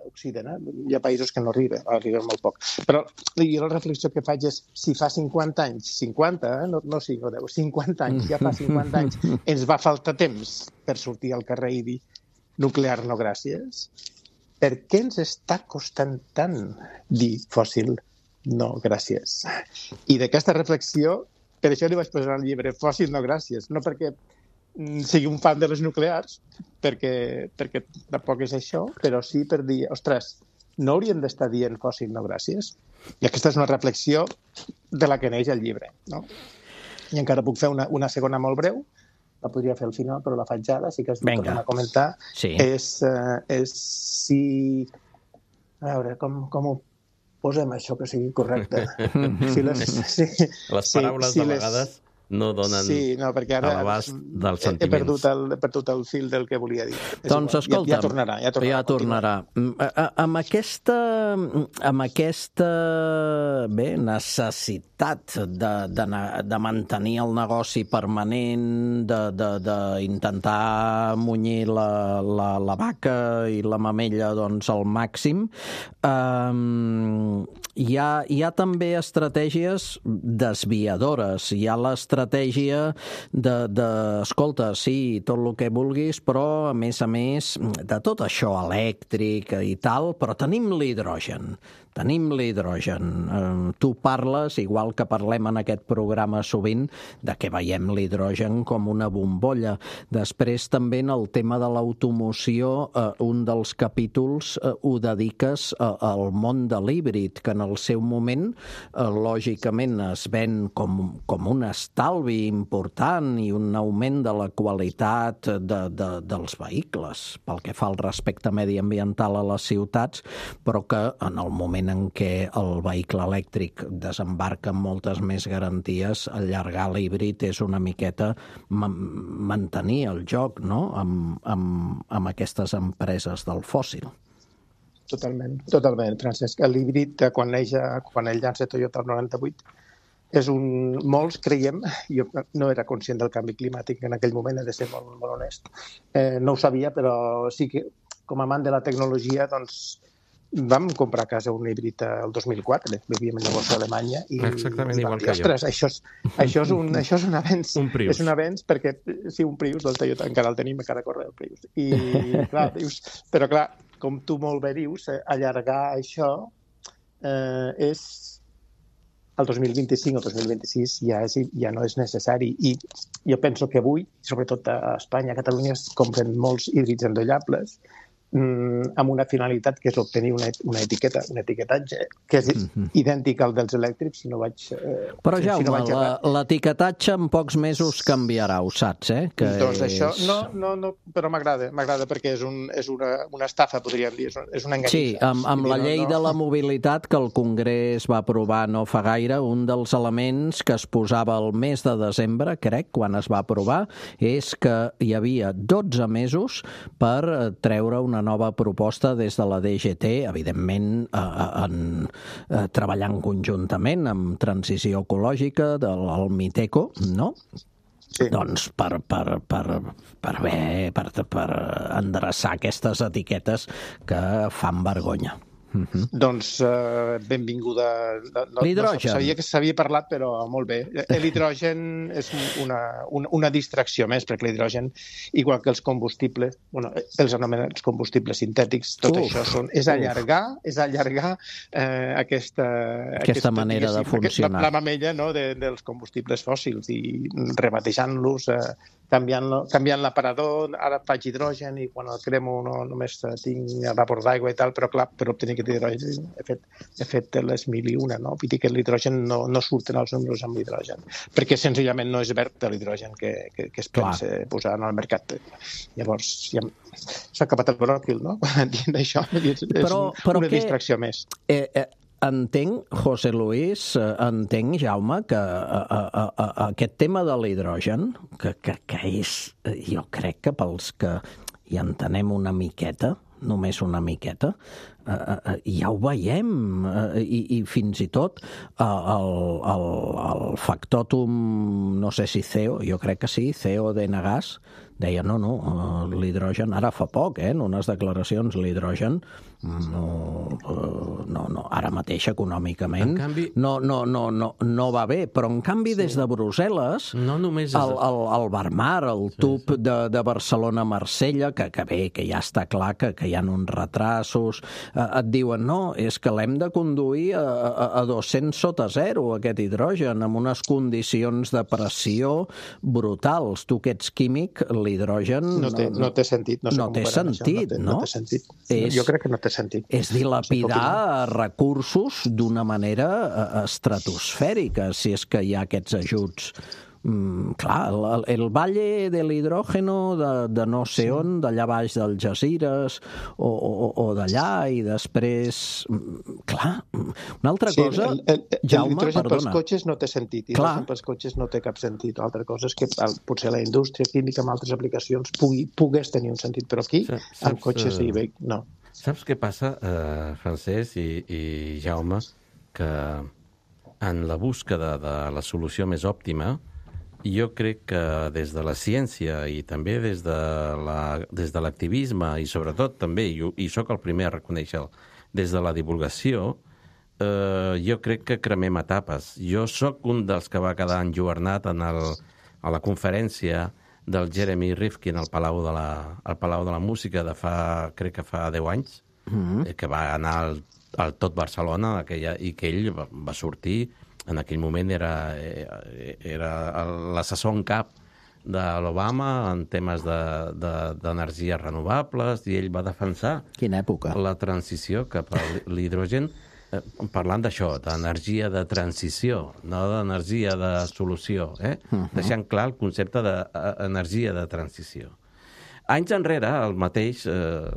Occident, eh? Hi ha països que no arriben, arriben molt poc. Però jo la reflexió que faig és, si fa cinquanta anys, cinquanta, eh? no, no cinc o deu, cinquanta anys, ja fa cinquanta anys, ens va faltar temps per sortir al carrer i dir nuclear no gràcies, per què ens està costant tant dir fòssil no gràcies? I d'aquesta reflexió, per això li vaig posar al llibre fòssil no gràcies, no perquè sigui un fan de les nuclears, perquè, perquè tampoc és això, però sí per dir, ostres, no hauríem d'estar dient fòssil no gràcies? I aquesta és una reflexió de la que neix el llibre, no? I encara puc fer una, una segona molt breu, la podria fer al final, però la faig ara, sí que es torna a comentar. Sí. És, uh, és si... A veure, com, com ho posem això que sigui correcte? Si les, si, les paraules si, si de vegades... Les... no donen sí, no, perquè ara a l'abast dels sentiments. He perdut, el, he perdut el fil del que volia dir. Doncs escolta'm, ja, ja tornarà. Ja tornarà. Ja tornarà. Amb aquesta, amb aquesta bé, necessitat de, de, de mantenir el negoci permanent, d'intentar munyir la, la, la vaca i la mamella doncs, al màxim, eh, hi ha, hi ha també estratègies desviadores. Hi ha l'estratègia de, de, escolta, sí, tot el que vulguis, però, a més a més, de tot això elèctric i tal, però tenim l'hidrogen. Tenim l'hidrogen. Eh, tu parles, igual que parlem en aquest programa sovint, de que veiem l'hidrogen com una bombolla. Després, també, en el tema de l'automoció, eh, un dels capítols eh, ho dediques eh, al món de l'híbrid, que en el seu moment, eh, lògicament, es ven com, com un estalvi important i un augment de la qualitat de, de, dels vehicles, pel que fa al respecte mediambiental a les ciutats, però que en el moment en què el vehicle elèctric desembarca amb moltes més garanties, allargar l'híbrid és una miqueta mantenir el joc, no?, amb, amb, amb aquestes empreses del fòssil. Totalment, totalment, Francesc. L'híbrid, quan neix, quan ell llança Toyota el noranta-vuit, és un... Molts creiem, jo no era conscient del canvi climàtic en aquell moment, he de ser molt, molt honest. Eh, no ho sabia, però sí que, com a amant de la tecnologia, doncs, vam comprar a casa un híbrid el dos mil quatre, vivíem en llavors a Alemanya, i, exactament i igual dir, que ostres, jo. Això és, això, és un, això és un avenç. Un Prius. És un avenç perquè, sí, un Prius, del Toyota, encara el tenim, encara corre el Prius. I, clar, dius, però clar, com tu molt bé dius, allargar això eh, és... El dos mil vint-i-cinc o dos mil vint-i-sis ja, és, ja no és necessari. I jo penso que avui, sobretot a Espanya, a Catalunya, es compren molts híbrids endollables amb una finalitat que és obtenir una, una etiqueta, un etiquetatge que és mm-hmm. idèntic al dels elèctrics, si no vaig... Eh, Però, si, Jaume, si no vaig la, l'etiquetatge en pocs mesos canviarà, ho saps, eh? Que doncs és... això, no, no, no però m'agrada, m'agrada perquè és, un, és una, una estafa, podríem dir, és una enganissa. Sí, amb, amb la llei no, no... de la mobilitat que el Congrés va aprovar no fa gaire, un dels elements que es posava el mes de desembre, crec, quan es va aprovar, és que hi havia dotze mesos per treure una nova proposta des de la D G T, evidentment eh, en, eh, treballant conjuntament amb transició ecològica del Miteco, no? Sí. Doncs per, per, per, per, bé, per, per endreçar aquestes etiquetes que fan vergonya. Mm-hmm. Doncs uh, benvinguda. No, L'hidrogen. No, sabia que s'havia parlat, però molt bé. L'hidrogen és una, una, una distracció més, perquè l'hidrogen, igual que els combustibles, bueno, els anomenats combustibles sintètics, tot uf, això són, és allargar, és allargar eh, aquesta, aquesta, aquesta manera de funcionar. La, la mamella, no, de, dels combustibles fòssils i rebatejant-los, eh, canviant, canviant l'aparador, ara faig hidrogen i quan el cremo no, només tinc vapor d'aigua i tal, però clar, per obtenir aquest hidrogen he fet, he fet les mil i una, no? Vull dir que l'hidrogen no, no surten els números amb l'hidrogen, perquè senzillament no és verd l'hidrogen que, que, que es pensa posar en el mercat. Llavors, ja s'ha acabat el bròquil, no? Dient això, és, però, és però una que, distracció més. Eh, eh, entenc, José Luis, entenc, Jaume, que a, a, a, a aquest tema de l'hidrogen, que, que, que és, jo crec que pels que hi entenem una miqueta, només una miqueta, uh, uh, ja ho veiem, uh, i, i fins i tot uh, el, el, el factòtum, no sé si C E O, jo crec que sí, C E O de Enagás, deia, no, no, uh, l'hidrogen, ara fa poc, eh, en unes declaracions, l'hidrogen no, uh, no, no, ara mateix econòmicament canvi, no, no, no, no, no va bé, però en canvi sí. Des de Brussel·les, no només és... el, el, el Barmar, el tub sí, sí. de, de Barcelona-Marsella, que, que bé, que ja està clar que, que hi ha uns retrasos, eh, et diuen, no, és que l'hem de conduir a, a, a dos-cents sota zero, aquest hidrogen, amb unes condicions de pressió brutals. Tu que ets químic, l'hidrogen... No té, no té sentit. No, sé no té sentit, no? Té, no? no té sentit. És, jo crec que no té sentit. És dilapidar recursos d'una manera estratosfèrica, si és que hi ha aquests ajuts. Mm, clar, el, el Valle de l'Hidrógeno de, de no sé sí. on, d'allà baix del Algesires o, o, o d'allà, i després clar, una altra sí, cosa el, el, el, Jaume, l'hidrogen perdona pels cotxes no té sentit, i l'hidrogen pels cotxes no té cap sentit. L'altra cosa és que potser la indústria química amb altres aplicacions pugui, pogués tenir un sentit, però aquí saps, amb cotxes i bé, no. Saps què passa, eh, Francesc i, i Jaume, que en la búsqueda de la solució més òptima, jo crec que des de la ciència i també des de la, des de l'activisme i sobretot també, i, i sóc el primer a reconèixer, des de la divulgació, eh, jo crec que cremem etapes. Jo sóc un dels que va quedar enlluernat en el, a la conferència del Jeremy Rifkin al Palau de la, al Palau de la Música de fa, crec que fa deu anys, mm-hmm. que va anar al, al tot Barcelona aquella, i que ell va, va sortir. En aquell moment era, era l'assessor en cap de l'Obama en temes d'energies de, de, renovables, i ell va defensar Quina època? La transició cap a l'hidrogen, eh, parlant d'això, d'energia de transició, no d'energia de solució, eh? Uh-huh. Deixant clar el concepte d'energia de transició. Anys enrere, el mateix eh,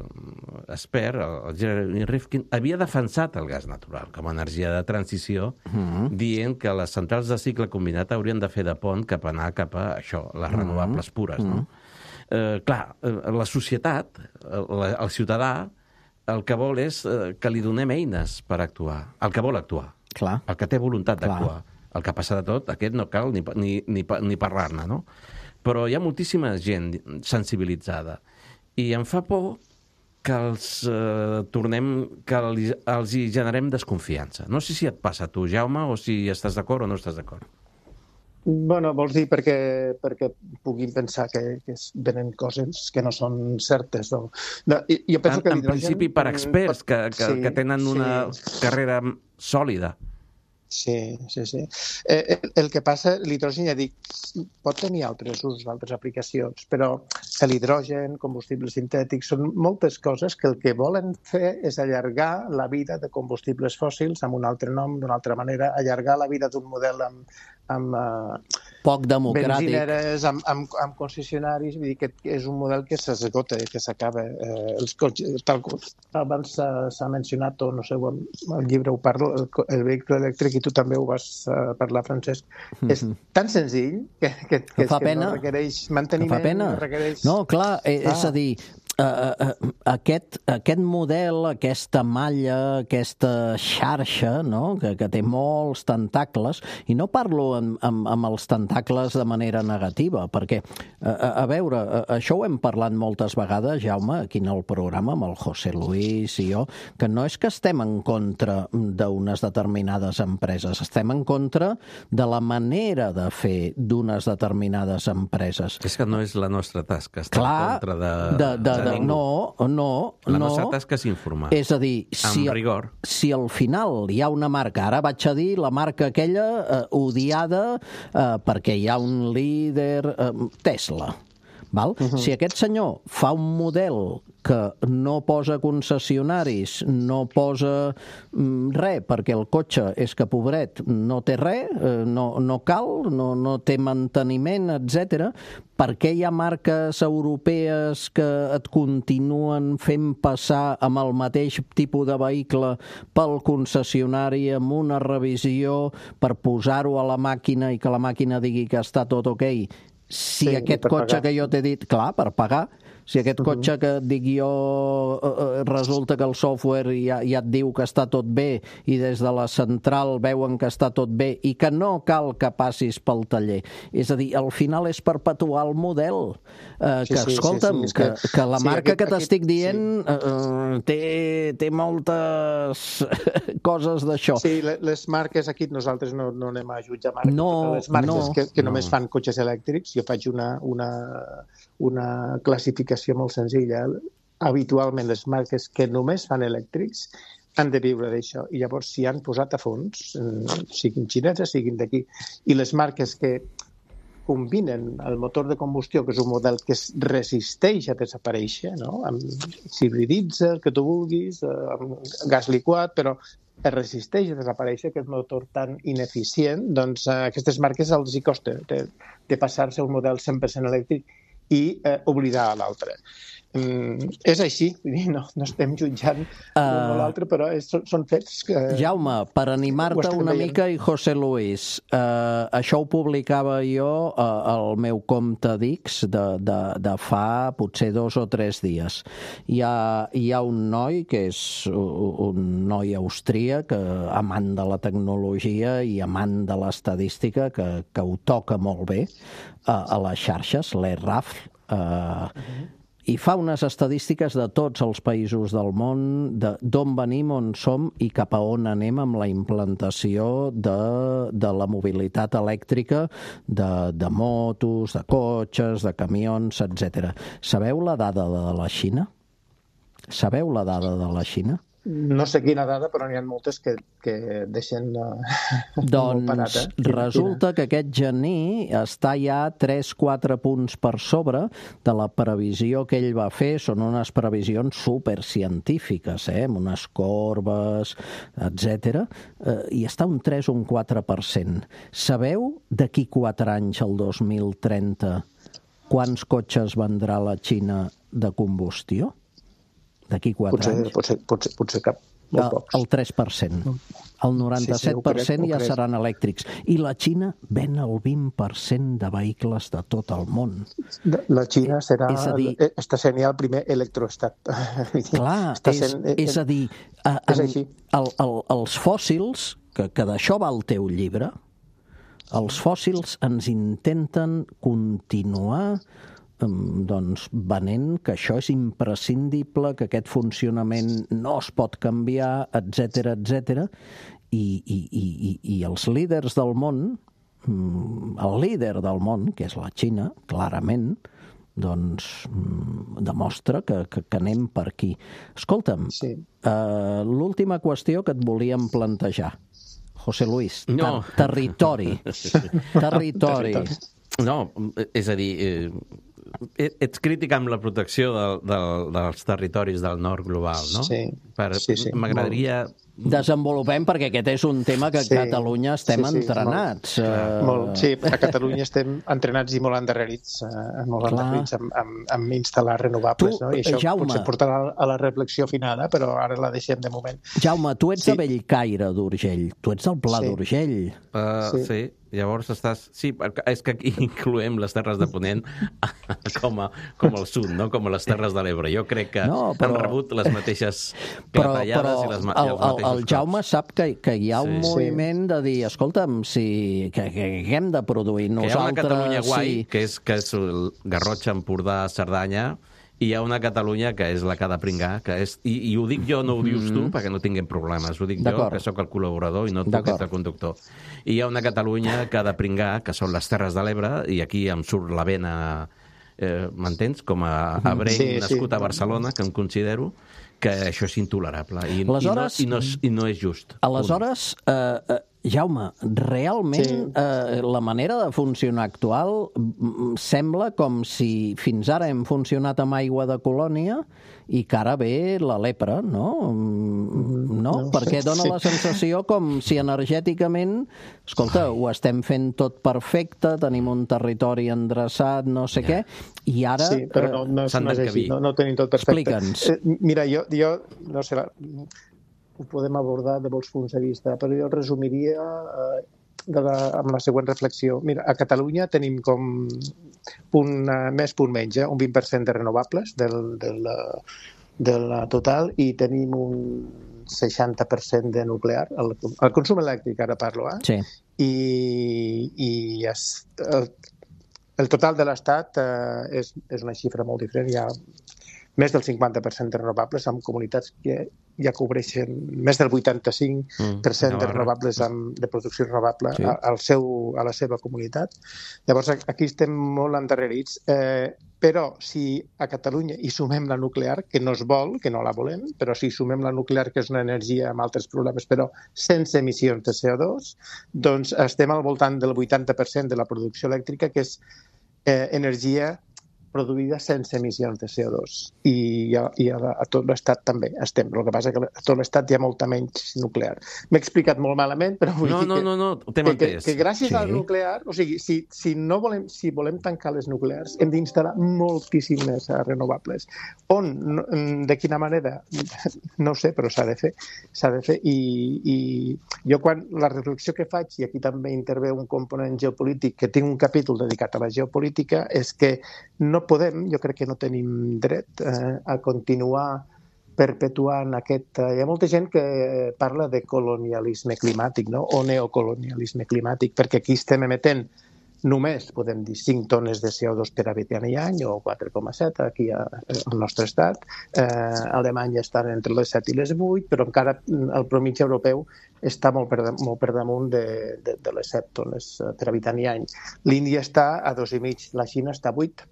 expert, el Jeremy Rifkin, havia defensat el gas natural com a energia de transició, uh-huh. dient que les centrals de cicle combinat haurien de fer de pont cap a anar cap a això, les uh-huh. renovables pures. No? Uh-huh. Eh, clar, la societat, el, el ciutadà, el que vol és eh, que li donem eines per actuar, el que vol actuar, clar. El que té voluntat d'actuar. El que passa de tot, aquest no cal ni, ni, ni, ni parlar-ne, no? Però hi ha moltíssima gent sensibilitzada i em fa por que els eh, tornem, que els, els hi generem desconfiança. No sé si et passa a tu, Jaume, o si estàs d'acord o no estàs d'acord. Bueno, vols dir perquè, perquè puguin pensar que, que venen coses que no són certes. No? No, jo penso en, que en principi per experts que, que, sí, que tenen una sí. carrera sòlida. Sí, sí, sí. Eh, el, el que passa, l'hidrogen, ja dic, pot tenir altres usos, altres aplicacions, però l'hidrogen, combustibles sintètics, són moltes coses que el que volen fer és allargar la vida de combustibles fòssils amb un altre nom, d'una altra manera, allargar la vida d'un model amb, amb uh, poc democràtic, benzineres, amb, amb, amb concessionaris, vull dir que és un model que s'esgota, que s'acaba. Eh, els cotxes, tal com abans s'ha mencionat, o no sé, el llibre ho parlo, el, el vehicle elèctric, i tu també ho vas uh, parlar, Francesc, mm-hmm. és tan senzill que, que, que, que, fa que pena. no requereix manteniment, fa pena. No requereix... No, clar, eh, ah. és a dir, Uh, uh, aquest, aquest model, aquesta malla, aquesta xarxa, no? que, que té molts tentacles, i no parlo amb, amb, amb els tentacles de manera negativa, perquè, uh, a, a veure, uh, això ho hem parlat moltes vegades, Jaume, aquí en el programa, amb el José Luis i jo, que no és que estem en contra d'unes determinades empreses, estem en contra de la manera de fer d'unes determinades empreses. És que no és la nostra tasca, estar Clar, en contra de... de, de, de ningú. no, no, la no. nostra tasca és informar. És a dir, si, amb rigor. Si al final hi ha una marca, ara vaig a dir la marca aquella eh, odiada eh, perquè hi ha un líder, eh, Tesla, val? Uh-huh. Si aquest senyor fa un model que no posa concessionaris, no posa mm, res, perquè el cotxe és que, pobret, no té res, eh, no, no cal, no, no té manteniment, etcètera. Per què hi ha marques europees que et continuen fent passar amb el mateix tipus de vehicle pel concessionari amb una revisió per posar-ho a la màquina i que la màquina digui que està tot ok? Si sí, aquest cotxe pagar. Que jo t'he dit, clar, per pagar, si aquest uh-huh. cotxe que et dic jo eh, resulta que el software ja, ja et diu que està tot bé i des de la central veuen que està tot bé i que no cal que passis pel taller. És a dir, al final és perpetuar el model. Eh, sí, que, sí, escolta'm, sí, sí, que, que, que la sí, marca aquest, que t'estic dient sí. eh, té, té moltes coses d'això. Sí, les marques aquí nosaltres no, no anem a jutjar marques. No, les marques no, que, que no. només fan cotxes elèctrics, jo faig una, una, una classificació molt senzilla. Habitualment les marques que només fan elèctrics han de viure d'això i llavors s'hi han posat a fons, siguin xineses, siguin d'aquí, i les marques que combinen el motor de combustió, que és un model que es resisteix a desaparèixer, no? S'hibriditza, el que tu vulguis, amb gas liquat, però es resisteix a desaparèixer aquest motor tan ineficient, doncs a aquestes marques els hi costa de, de passar-se a un model cent per cent elèctric i eh, oblidar l'altre. Mm, és així, no, no estem jutjant uh, l'un o l'altre, però és, són, són fets que... Jaume, per animar-te una veient. mica, i José Luis, uh, això ho publicava jo uh, al meu compte d'X de, de, de fa potser dos o tres dies. Hi ha, hi ha un noi que és un noi austríac, amant de la tecnologia i amant de l'estadística, que, que ho toca molt bé uh, a les xarxes, l'E-Raf, uh, uh-huh. i fa unes estadístiques de tots els països del món, d'on venim, on som i cap a on anem amb la implantació de, de la mobilitat elèctrica, de, de motos, de cotxes, de camions, etcètera. Sabeu la dada de la Xina? Sabeu la dada de la Xina? No sé quina dada, però n'hi ha moltes que, que deixen uh, doncs molt parat. Eh? Resulta que aquest gener està ja tres quatre punts per sobre de la previsió que ell va fer. Són unes previsions supercientífiques, eh? Amb unes corbes, etcètera. Eh, I està un tres o un quatre per cent. Sabeu d'aquí quatre anys, el dos mil trenta, quants cotxes vendrà la Xina de combustió? D'aquí quatre potser, anys. Potser, potser, potser cap, molt pocs. El tres per cent. El noranta-set per cent sí, sí, ja crec. Seran elèctrics. I la Xina ven el vint per cent de vehicles de tot el món. La Xina serà, és a dir, està sent ja el primer electroestat. Clar, és, sent, és a dir, a, a, és el, el, els fòssils, que, que d'això va el teu llibre, els fòssils ens intenten continuar doncs venent que això és imprescindible, que aquest funcionament no es pot canviar, etcètera, etcètera. I, i, i, i els líders del món, el líder del món, que és la Xina, clarament, doncs demostra que, que, que anem per aquí. Escolta'm, sí. uh, l'última qüestió que et volíem plantejar. José Luis, no. ter territori. territori. No, és a dir... Eh... Ets crític amb la protecció de, de, dels territoris del nord global, no? Sí, per, sí, sí. M'agradaria... Desenvolupem, perquè aquest és un tema que a sí, Catalunya estem sí, sí, entrenats. Molt, uh... molt, sí, a Catalunya estem entrenats i molt endarrerits, uh, molt Clar. endarrerits amb, amb, amb instal·lar renovables. Tu, no? I això Jaume, potser portarà a la reflexió finada, però ara la deixem de moment. Jaume, tu ets sí. de Bellcaire d'Urgell, tu ets del Pla sí. d'Urgell. Uh, sí. sí. Llavors estàs... Sí, és que aquí incloem les Terres de Ponent com, a, com el sud, no? Com a les Terres de l'Ebre. Jo crec que no, però... han rebut les mateixes clatellades però, però i les, el, i els mateixos el, el Jaume cops. Sap que, que hi ha un sí. moviment de dir, escolta'm, si, que, que, que hem de produir nosaltres... Que hi ha una Catalunya guai, sí. que, és, que és el Garrotxa, Empordà, Cerdanya, i hi ha una Catalunya que és la que ha de pringar, que és, i, i ho dic jo, no ho dius tu, perquè no tinguem problemes, ho dic jo, que sóc el col·laborador i no tu, que ets el conductor. I hi ha una Catalunya que ha de pringar, que són les Terres de l'Ebre, i aquí em surt la vena, eh, m'entens? Com a abrenc sí, nascut sí. a Barcelona, que em considero, que això és intolerable i, aleshores, i, no, i, no, i no és just. Aleshores, eh, eh, Jaume, realment sí. eh, la manera de funcionar actual sembla com si fins ara hem funcionat amb aigua de colònia i que ara ve la lepra, no? No? no Perquè dona sí. la sensació com si energèticament, escolta, ho estem fent tot perfecte, tenim un territori endreçat, no sé yeah. què, i ara... Sí, però no, no, no és així, no, no tenim tot perfecte. Explica'ns. Eh, mira, jo, jo no sé... La... ho podem abordar de molts punts de vista, però jo resumiria eh, de la, amb la següent reflexió. Mira, a Catalunya tenim com punt, uh, més punt menys, eh, un vint per cent de renovables del, del, del total i tenim un seixanta per cent de nuclear. El, el consum elèctric, ara parlo, eh? Sí. I, i es, el, el total de l'Estat eh, és, és una xifra molt diferent. Hi ha més del cinquanta per cent de renovables en comunitats que ja cobreixen més del vuitanta-cinc per cent mm, de renovables amb, de producció renovable sí. a, al seu, a la seva comunitat. Llavors, aquí estem molt endarrerits, eh, però si a Catalunya hi sumem la nuclear, que no es vol, que no la volem, però si sumem la nuclear, que és una energia amb altres problemes, però sense emissions de C O dos, doncs estem al voltant del vuitanta per cent de la producció elèctrica, que és eh, energia produïda sense emissions de C O dos. I, a, i a, a tot l'Estat també estem. El que passa que a tot l'Estat hi ha molta menys nuclear. M'he explicat molt malament, però vull no, dir no, que, no, no, que, que, que gràcies sí. al nuclear, o sigui, si, si no volem, si volem tancar les nuclears, hem d'instal·lar moltíssimes renovables. On? De quina manera? No ho sé, però s'ha de fer. S'ha de fer. I, i jo quan la reflexió que faig, i aquí també intervé un component geopolític, que tinc un capítol dedicat a la geopolítica, és que no podem, jo crec que no tenim dret eh, a continuar perpetuant aquest... Eh, hi ha molta gent que parla de colonialisme climàtic, no? O neocolonialisme climàtic, perquè aquí estem emetent només, podem dir, cinc tones de C O dos per habitant i any, o quatre coma set aquí a, al nostre estat. Eh, a Alemanya estan entre les set i les vuit, però encara el promig europeu està molt per, molt per damunt de, de, de les set tones per habitant i any. L'Índia està a dos i mig, la Xina està a vuit.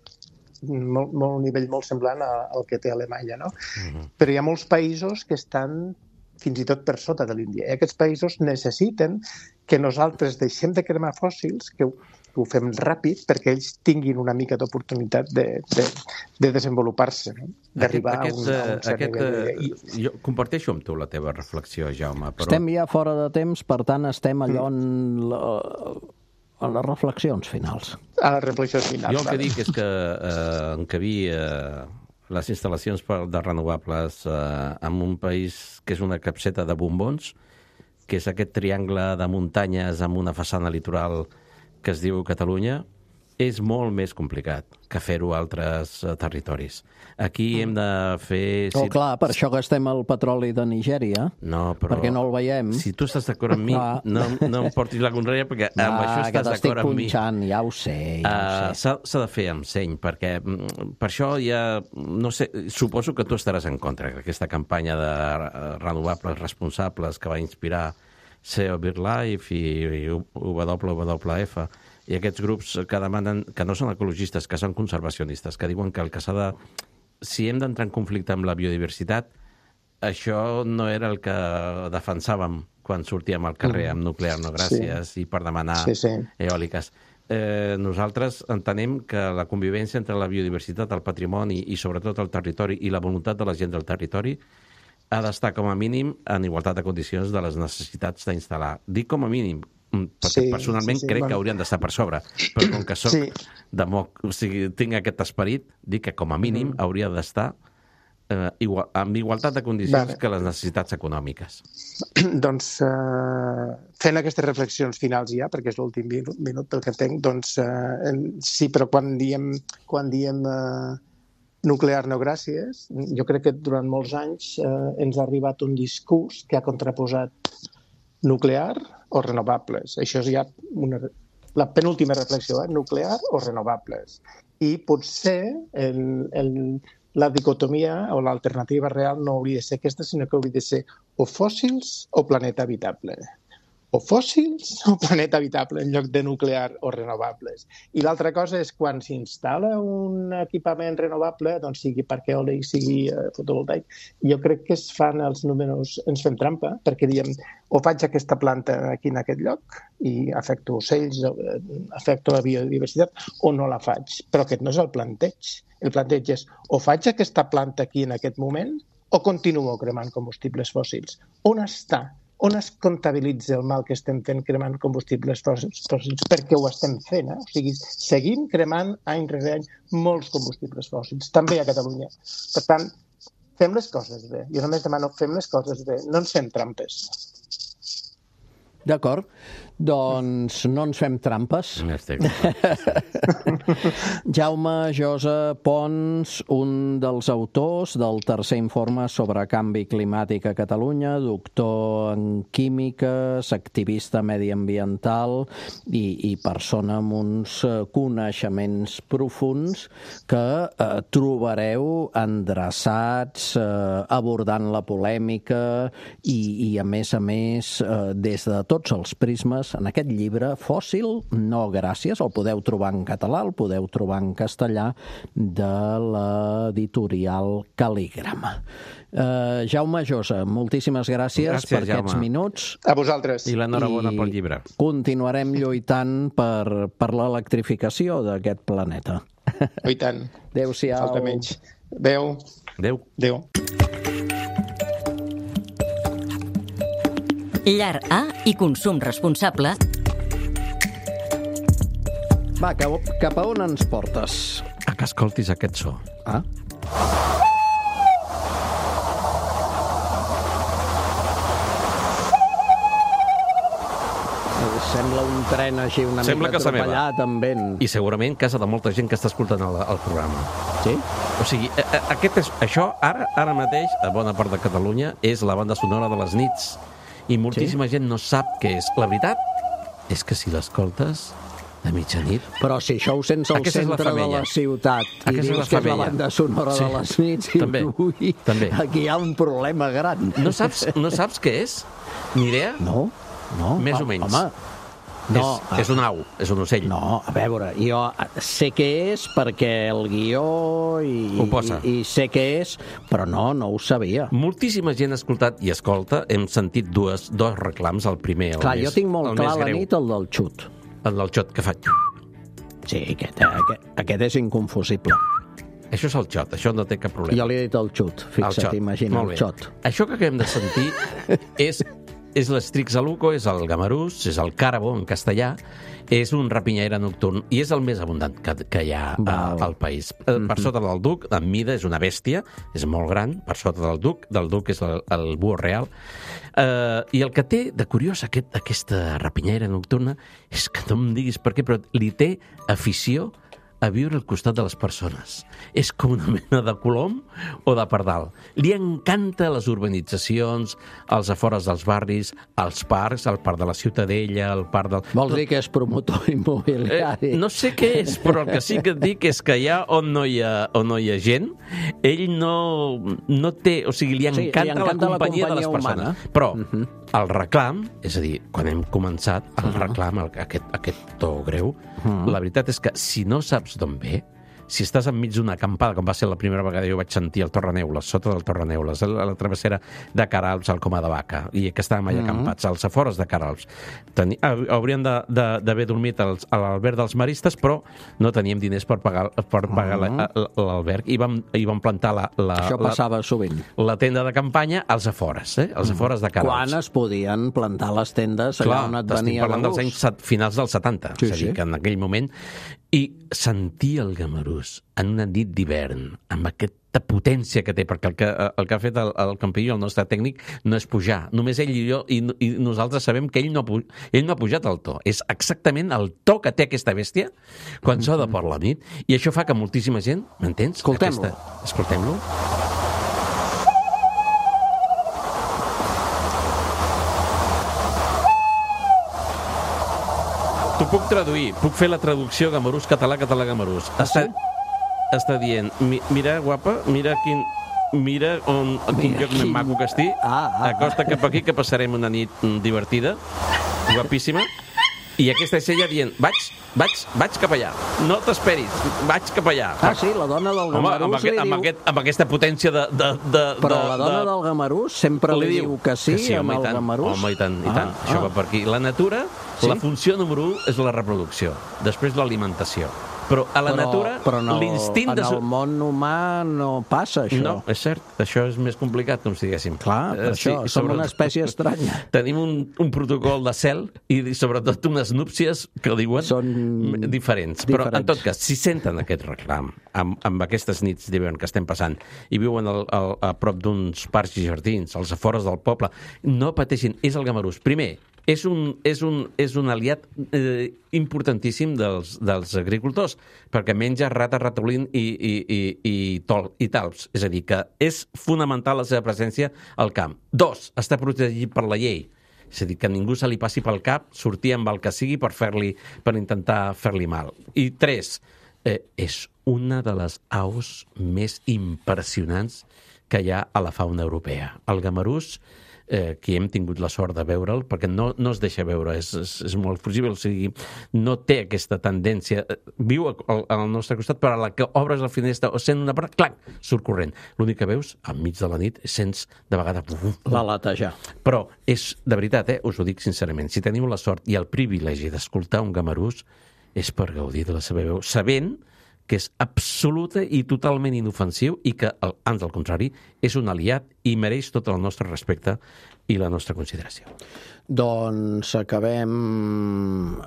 Molt, molt, un nivell molt semblant al que té Alemanya, no? Uh-huh. Però hi ha molts països que estan fins i tot per sota de l'Índia. I aquests països necessiten que nosaltres deixem de cremar fòssils, que ho, que ho fem ràpid, perquè ells tinguin una mica d'oportunitat de, de, de desenvolupar-se, no? D'arribar aquest, aquest, a un, a un cert aquest, nivell. I... Jo comparteixo amb tu la teva reflexió, Jaume, però... Estem ja fora de temps, per tant estem allò en... La... a les reflexions finals. A les reflexions finals. Jo el que dic és que eh, encabir eh, les instal·lacions de renovables eh, en un país que és una capseta de bombons, que és aquest triangle de muntanyes amb una façana litoral que es diu Catalunya, és molt més complicat que fer-ho a altres uh, territoris. Aquí hem de fer... Oh, si... clar, per això gastem el petroli de Nigèria, no, però... perquè no el veiem. Si tu estàs d'acord amb mi, no, no em portis la contrària, perquè ah, amb això estàs d'acord amb mi. Punxant, ja ho sé, ja uh, ho sé. S'ha de fer amb seny, perquè per això ja... No sé, suposo que tu estaràs en contra d'aquesta campanya de renovables responsables que va inspirar C O BirdLife i W W F, i aquests grups que demanen, que no són ecologistes, que són conservacionistes, que diuen que el que s'ha de... Si hem d'entrar en conflicte amb la biodiversitat, això no era el que defensàvem quan sortíem al carrer amb nuclear, no gràcies, sí. I per demanar sí, sí. eòliques. Eh, nosaltres entenem que la convivència entre la biodiversitat, el patrimoni i sobretot el territori i la voluntat de la gent del territori ha d'estar com a mínim en igualtat de condicions de les necessitats d'instal·lar. Dic com a mínim, perquè sí, personalment sí, sí, crec bueno. que haurien d'estar per sobre, però com que soc sí. democ... o sigui, tinc aquest esperit, dic que com a mínim mm. hauria d'estar eh, igual, amb igualtat de condicions Vale. que les necessitats econòmiques. Doncs, eh, fent aquestes reflexions finals ja, perquè és l'últim minut, minut que tenc, doncs eh, sí, però quan diem, quan diem eh, nuclear no gràcies, jo crec que durant molts anys eh, ens ha arribat un discurs que ha contraposat nuclear o renovables. Això és ja una, la penúltima reflexió, eh? Nuclear o renovables. I potser el, el, la dicotomia o l'alternativa real no hauria de ser aquesta, sinó que hauria de ser o fòssils o planeta habitable. O fòssils o planeta habitable en lloc de nuclear o renovables. I l'altra cosa és quan s'instal·la un equipament renovable, doncs sigui parc eòlic, sigui eh, fotovoltaic, jo crec que es fan els números, ens fem trampa, perquè diem o faig aquesta planta aquí en aquest lloc i afecto ocells, afecto la biodiversitat, o no la faig. Però aquest no és el planteig. El planteig és o faig aquesta planta aquí en aquest moment o continuo cremant combustibles fòssils. On està? On es comptabilitza el mal que estem fent cremant combustibles fòssils? Perquè ho estem fent, eh? O sigui, seguim cremant any rere any molts combustibles fòssils, també a Catalunya. Per tant, fem les coses bé. Jo només demano, fem les coses bé, no ens fem trampes. D'acord. Doncs no ens fem trampes. Jaume Josa Pons, un dels autors del tercer informe sobre canvi climàtic a Catalunya, doctor en químiques, activista mediambiental i, i persona amb uns coneixements profunds que eh, trobareu endreçats, eh, abordant la polèmica i, i a més a més, eh, des de tots els prismes, en aquest llibre, Fòssil, no gràcies, el podeu trobar en català, el podeu trobar en castellà, de l'editorial Cal·lígrama. Uh, Jaume Josa, moltíssimes gràcies, gràcies per Jaume. Aquests minuts. A vosaltres. I l'enhorabona pel llibre. Continuarem lluitant per, per l'electrificació d'aquest planeta. I tant. Adéu-siau. Falta menys. Adéu. Adéu. Adéu. Llar A i consum responsable. Va, cap, cap a on ens portes? A que escoltis aquest so. Ah. Sembla un tren així una Sembla mica atropellat amb vent. I segurament casa de molta gent que està escoltant el, el programa. Sí? O sigui, aquest és, això ara ara mateix, a bona part de Catalunya, és la banda sonora de les nits. I moltíssima sí? gent no sap què és. La veritat és que si l'escoltes de mitjanit... Però si això ho sents al centre de la ciutat i Aquesta dius és que és la banda sonora sí. de les nits, i també, ui, també. Aquí hi ha un problema gran. No saps, no saps què és? Ni idea? No, no. Més home, o menys. Home, no, és, és un au, és un ocell. No, a veure, jo sé què és perquè el guió i, i, i sé què és, però no, no ho sabia. Moltíssima gent ha escoltat i escolta, hem sentit dues, dos reclams, el primer, el clar, més, jo tinc molt clar la nit el del xut. El del xot, que fa... Sí, aquest, aquest, aquest és inconfusible. Això és el xot, això no té cap problema. Jo li he dit el xut, fixa't, imagina, el xot. Això que acabem de sentir és... és l'Strixaluco, és el gamarús, és el càrabo en castellà, és un rapinyaire nocturn i és el més abundant que, que hi ha a, al país. Mm-hmm. Per sota del duc, en mida, és una bèstia, és molt gran, per sota del duc, del duc és el, el búho real. Uh, I el que té de curiós aquest, aquesta rapinyaire nocturna és que no em diguis per què, però li té afició a viure al costat de les persones. És com una mena de colom o de pardal. Li encanta les urbanitzacions, els afores dels barris, els parcs, el parc de la Ciutadella, el parc del... Vols dir que és promotor immobiliari? Eh, no sé què és, però el que sí que et dic és que allà on no hi ha, on no hi ha gent, ell no, no té... O sigui, li encanta, sí, li encanta la, companyia la companyia de les persones. Humana. Però uh-huh. el reclam, és a dir, quan hem començat, el uh-huh. reclam, el, aquest, aquest to greu, uh-huh. la veritat és que si no saps d'on ve, si estàs enmig d'una acampada, com va ser la primera vegada jo vaig sentir el Torreneules, sota del Torreneules, la, la travessera de Caralps al Coma de Vaca, i que estàvem allà acampats, als afores de Caralps. Teni, haurien d'haver dormit als, a l'alberg dels maristes, però no teníem diners per pagar, per pagar uh-huh. l'alberg, i vam, i vam plantar la, la, Això passava la, sovint. La tenda de campanya als afores, eh? als afores de Caralps. Quan es podien plantar les tendes allà on et venia de gust? Parlant dels anys finals dels setanta, sí, és a dir, sí. que en aquell moment... I sentir el gamarús en una nit d'hivern, amb aquest de potència que té, perquè el que, el que ha fet el, el Campillo, el nostre tècnic, no és pujar. Només ell i jo, i, i nosaltres sabem que ell no, ell no ha pujat el to. És exactament el to que té aquesta bèstia quan s'oda per la nit, i això fa que moltíssima gent, m'entens? Escoltem-lo. Aquesta... Escoltem-lo. T'ho puc traduir, puc fer la traducció gamarús, català, català, gamarús. Ah, Està, sí? està dient, mi, mira, guapa, mira quin... Mira on, quin lloc més maco que estic. Ah, ah, Acosta cap aquí que passarem una nit divertida, guapíssima. I aquesta és ella dient, vaig, vaig, vaig cap allà. No t'esperis, vaig cap allà. Ah, sí, la dona del Home, gamarús amb, aquest, li amb, diu... aquest, amb aquesta potència de... de, de Però de, la dona de... del gamarús sempre li, li diu que sí, que sí, amb home, el i tant, gamarús. home, i tant, i tant. Ah, Això ah. va per aquí. La natura, Sí? la funció número u és la reproducció, després l'alimentació. Però a la però, natura, però no, l'instint en de... el món humà no passa això. No, és cert, això és més complicat, com si diguéssim. Clar, per Eh, això, sí, som sobre- una espècie estranya. Tenim un, un protocol de cel i sobretot unes núpcies que diuen Són diferents. Però en diferents. tot cas, si senten aquest reclam amb, amb aquestes nits d'hivern que estem passant i viuen al, al, a prop d'uns parcs i jardins, als afores del poble, no pateixin, és el gamarús. Primer, és un, és un, és un aliat eh, importantíssim dels, dels agricultors, perquè menja rata, ratolín i, i, i, i, tol, i talps. És a dir, que és fonamental la seva presència al camp. Dos, està protegit per la llei. És a dir, que ningú se li passi pel cap sortir amb el que sigui per, fer-li, per intentar fer-li mal. I tres, eh, és una de les aus més impressionants que hi ha a la fauna europea. El gamarús, eh, que hem tingut la sort de veure'l, perquè no, no es deixa veure, és, és, és molt fugible, o sigui, no té aquesta tendència. Viu al, al nostre costat, però a la que obres la finestra o sent una part, clac, surt corrent. L'únic que veus, enmig de la nit, sents de vegades... La latejar. Però és, de veritat, eh, us ho dic sincerament, si teniu la sort i el privilegi d'escoltar un gamarús, és per gaudir de la seva veu, sabent que és absoluta i totalment inofensiu i que, ans al contrari, és un aliat i mereix tot el nostre respecte i la nostra consideració. Doncs acabem,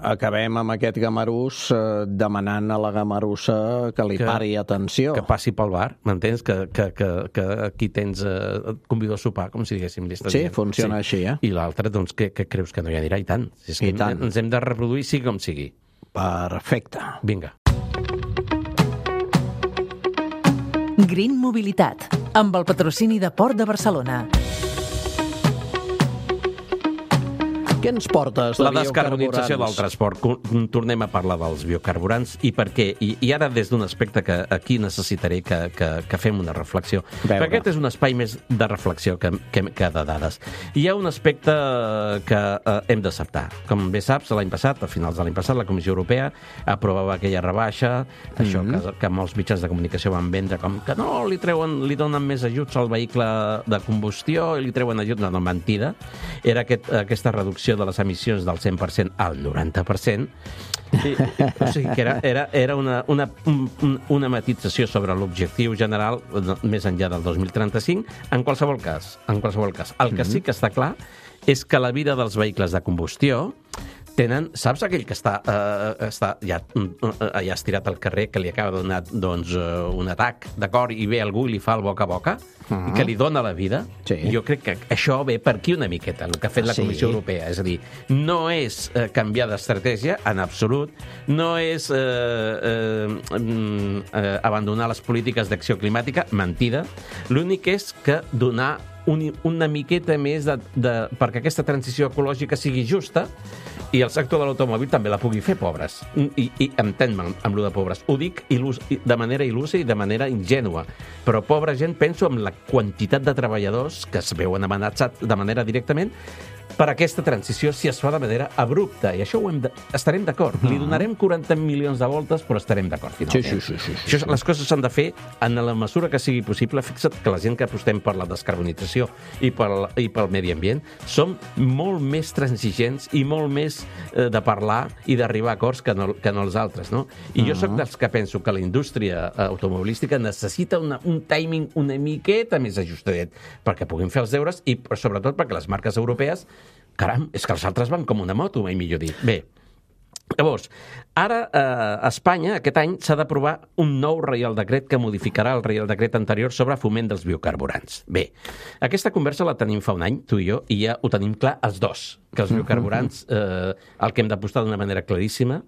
acabem amb aquest gamarús eh, demanant a la gamarussa que li Que- pari atenció. Que passi pel bar, m'entens? Que, que, que, que aquí tens, eh, et convido a sopar, com si diguéssim. li estàs Sí, dient. funciona així, eh? I l'altre, doncs, que, que creus que no hi anirà? I tant. És que I tant. ens hem de reproduir, sigui com sigui. Perfecte. Vinga. Green Mobilitat, amb el patrocini de Port de Barcelona. Què ens portes de La descarbonització del biocarburants? transport. Co- Tornem a parlar dels biocarburants i per què. I, i ara des d'un aspecte que aquí necessitaré que, que, que fem una reflexió. Veure. Perquè aquest és un espai més de reflexió que, que, que de dades. Hi ha un aspecte que eh, hem d'acceptar. Com bé saps, l'any passat, a finals de l'any passat, la Comissió Europea aprovava aquella rebaixa, això Mhm. que, que molts mitjans de comunicació van vendre com que no, li treuen, li donen més ajuts al vehicle de combustió i li treuen ajuts. No, no, mentida. Era aquest, aquesta reducció de les emissions del cent per cent al noranta per cent. I, o sigui que era, era, era una, una, un- una matització sobre l'objectiu general no, més enllà del dos mil trenta-cinc. En qualsevol cas, en qualsevol cas, el que sí que està clar és que la vida dels vehicles de combustió tenen, saps aquell que està, eh, està ja, eh, ja estirat al carrer, que li acaba de donar doncs, eh, un atac de cor i ve algú i li fa el boca a boca, i que li dona la vida? Sí. Jo crec que això ve per aquí una miqueta, el que ha fet la Sí. Comissió Europea. És a dir, no és eh, canviar d'estratègia, en absolut, no és eh, eh, mm, eh, abandonar les polítiques d'acció climàtica, mentida. L'únic és que donar un, una miqueta més de, de, perquè aquesta transició ecològica sigui justa i el sector de l'automòbil també la pugui fer, pobres. I, i entén-me amb, amb lo de pobres. Ho dic il·lus, de manera il·lusa i de manera ingènua. Però pobra gent, penso en la quantitat de treballadors que es veuen amenaçats de manera directament per aquesta transició si es fa de manera abrupta. I això ho hem de, estarem d'acord. Li donarem quaranta milions de voltes, però estarem d'acord finalment. Sí, sí, sí, sí, sí. Això, les coses s'han de fer en la mesura que sigui possible. Fixa't que la gent que apostem per la descarbonització i pel, i pel medi ambient som molt més transigents i molt més eh, de parlar i d'arribar a acords que no, que no els altres, no? I jo sóc dels que penso que la indústria eh, automobilística necessita una, un timing una miqueta més ajustadet perquè puguin fer els deures i sobretot perquè les marques europees, caram, és que els altres van com una moto, mai millor dit. Bé, Llavors, ara eh, a Espanya, aquest any, s'ha d'aprovar un nou Reial Decret que modificarà el Reial Decret anterior sobre foment dels biocarburants. Bé, aquesta conversa la tenim fa un any, tu i jo, i ja ho tenim clar els dos, que els biocarburants, eh, el que hem d'apostar d'una manera claríssima,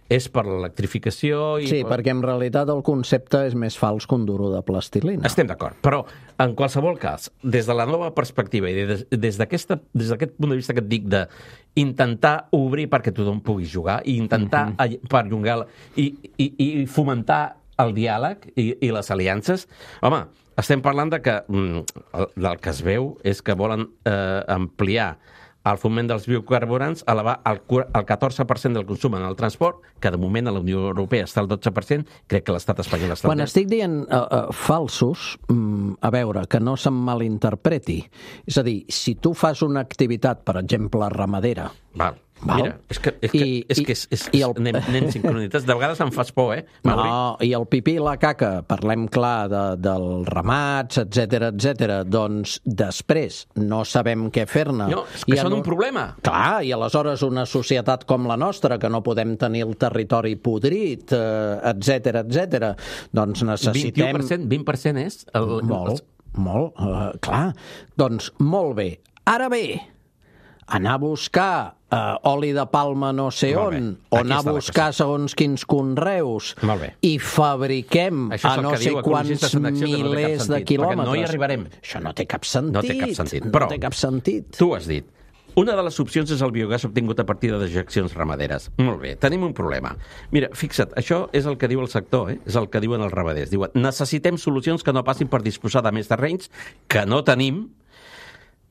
és per l'electrificació... I... Sí, perquè en realitat el concepte és més fals que un duro de plastilina. Estem d'acord, però en qualsevol cas, des de la nova perspectiva i des, des d'aquest punt de vista que et dic de intentar obrir perquè tothom pugui jugar i intentar mm-hmm. perllongar i, i, i fomentar el diàleg i, i les aliances, home, estem parlant de que mm, el que es veu és que volen eh, ampliar el foment dels biocarburants, elevar el, el catorze per cent del consum en el transport, que de moment a la Unió Europea està al dotze per cent, crec que l'estat espanyol està... Quan estic dient uh, uh, falsos, um, a veure, que no se'm malinterpreti. És a dir, si tu fas una activitat, per exemple, ramadera... Val. Val? Mira, és que, és que, I, és que és, és, és, el... anem, anem sincronitats. De vegades em fas por, eh, Mauri? No, i el pipí i la caca, parlem clar de, dels ramats, etcètera, etcètera, doncs després no sabem què fer-ne. No, és que són no... un problema. Clar, i aleshores una societat com la nostra, que no podem tenir el territori podrit, eh, etcètera, etcètera, doncs necessitem... vint-i-u per cent, vint per cent és... El... Molt, molt, uh, clar. Doncs molt bé. Ara bé, anar a buscar uh, oli de palma no sé on, o anar a buscar segons quins conreus i fabriquem a no sé quants milers de quilòmetres. No hi arribarem. Això no té cap sentit. No té cap sentit. No té cap sentit. Tu has dit, una de les opcions és el biogàs obtingut a partir de dejeccions ramaderes. Molt bé, tenim un problema. Mira, fixa't, això és el que diu el sector, eh? És el que diuen els ramaders. Diuen, necessitem solucions que no passin per disposar de més terrenys que no tenim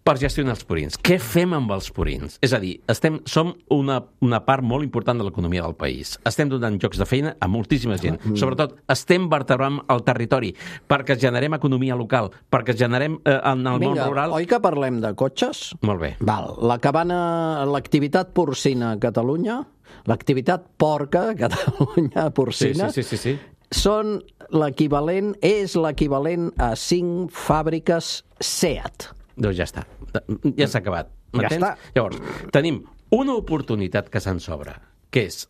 per gestionar els purins. Què fem amb els purins? És a dir, estem, som una, una part molt important de l'economia del país. Estem donant llocs de feina a moltíssima gent. Mm. Sobretot, estem vertebrant el territori perquè generem economia local, perquè generem eh, en el Vinga, món rural... Oi que parlem de cotxes? Molt bé. Val. La cabana, l'activitat porcina a Catalunya, l'activitat porca a Catalunya porcina... Sí, sí, sí, sí, sí. Són l'equivalent, és l'equivalent a cinc fàbriques SEAT. Doncs ja està. Ja s'ha acabat. Ja està. Llavors, tenim una oportunitat que se'n sobra, que és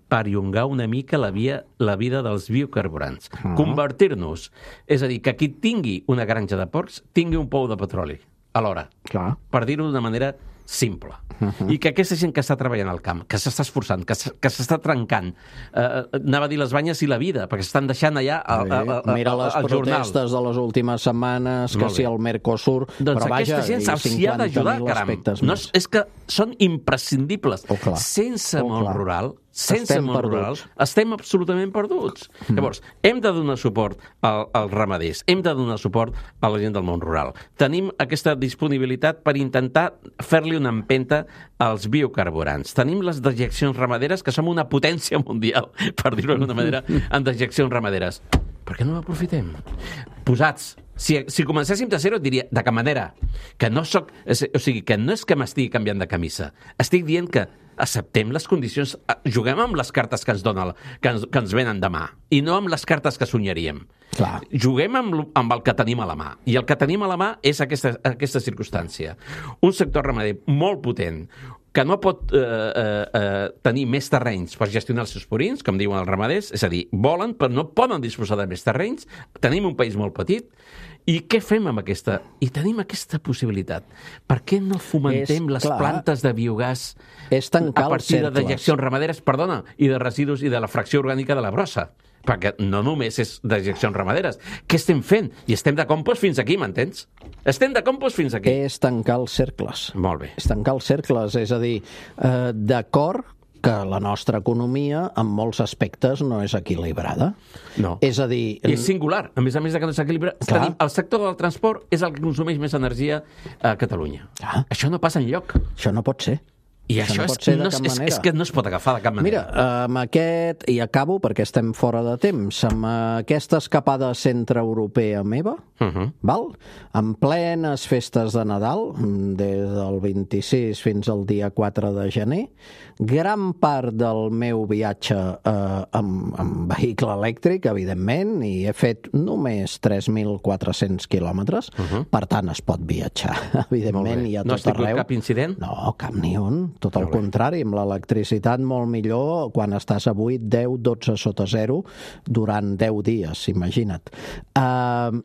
perllongar una mica la, via, la vida dels biocarburants. Uh-huh. Convertir-nos. És a dir, que qui tingui una granja de porcs tingui un pou de petroli alhora. Clar. Per dir-ho d'una manera simple. Uh-huh. I que aquesta gent que està treballant al camp, que s'està esforçant, que s'està trencant, eh, anava a dir les banyes i la vida, perquè s'estan deixant allà al, al, al, Mira les al protestes de les últimes setmanes, que si el Mercosur... Doncs però vaja, aquesta gent s'hi ha d'ajudar, caram. No, és, és que són imprescindibles. Oh, sense oh, món rural, sense estem món rural, estem absolutament perduts. Mm. Llavors, hem de donar suport al, als ramaders, hem de donar suport a la gent del món rural. Tenim aquesta disponibilitat per intentar fer-li una empenta als biocarburants. Tenim les dejeccions ramaderes, que som una potència mundial, per dir-ho d'alguna manera, en dejeccions ramaderes. Per què no l'aprofitem? Posats. Si, si comencéssim de zero, et diria, de cap manera, que no soc... O sigui, que no és que m'estigui canviant de camisa. Estic dient que acceptem les condicions, juguem amb les cartes que ens donen, que ens, que ens venen demà, i no amb les cartes que sonyaríem. Clar. Juguem amb, amb el que tenim a la mà. I el que tenim a la mà és aquesta, aquesta circumstància. Un sector ramader molt potent, que no pot eh, eh, tenir més terrenys per gestionar els seus purins, com diuen els ramaders, és a dir, volen, però no poden disposar de més terrenys. Tenim un país molt petit. I què fem amb aquesta? I tenim aquesta possibilitat. Per què no fomentem és, les clar, plantes de biogàs a partir de dejeccions ramaderes, perdona, i de residus i de la fracció orgànica de la brossa? Perquè no només és dejeccions ramaderes. Què estem fent? I estem de compost fins aquí, m'entens? Estem de compost fins aquí. És tancar els cercles. Molt bé. És tancar els cercles, és a dir, eh, d'acord que la nostra economia, en molts aspectes, no és equilibrada. No. És a dir... I és singular. A més a més de que no s'equilibra, tenim, el sector del transport és el que consumeix més energia a Catalunya. Clar. Això no passa enlloc. Això no pot ser. I això, això és, no, és, és que no es pot agafar de cap manera. Mira, amb aquest, i acabo perquè estem fora de temps, amb aquesta escapada centreeuropea meva, uh-huh. val? En plenes festes de Nadal, des del vint-i-sis fins al dia quatre de gener, gran part del meu viatge eh, amb, amb vehicle elèctric, evidentment, i he fet només tres mil quatre-cents quilòmetres, uh-huh. per tant es pot viatjar, evidentment, i a tot no has tingut arreu. Cap incident? No, cap ni un. tot el contrari, amb l'electricitat molt millor quan estàs a vuit, deu, dotze sota zero durant deu dies, imagina't. Uh,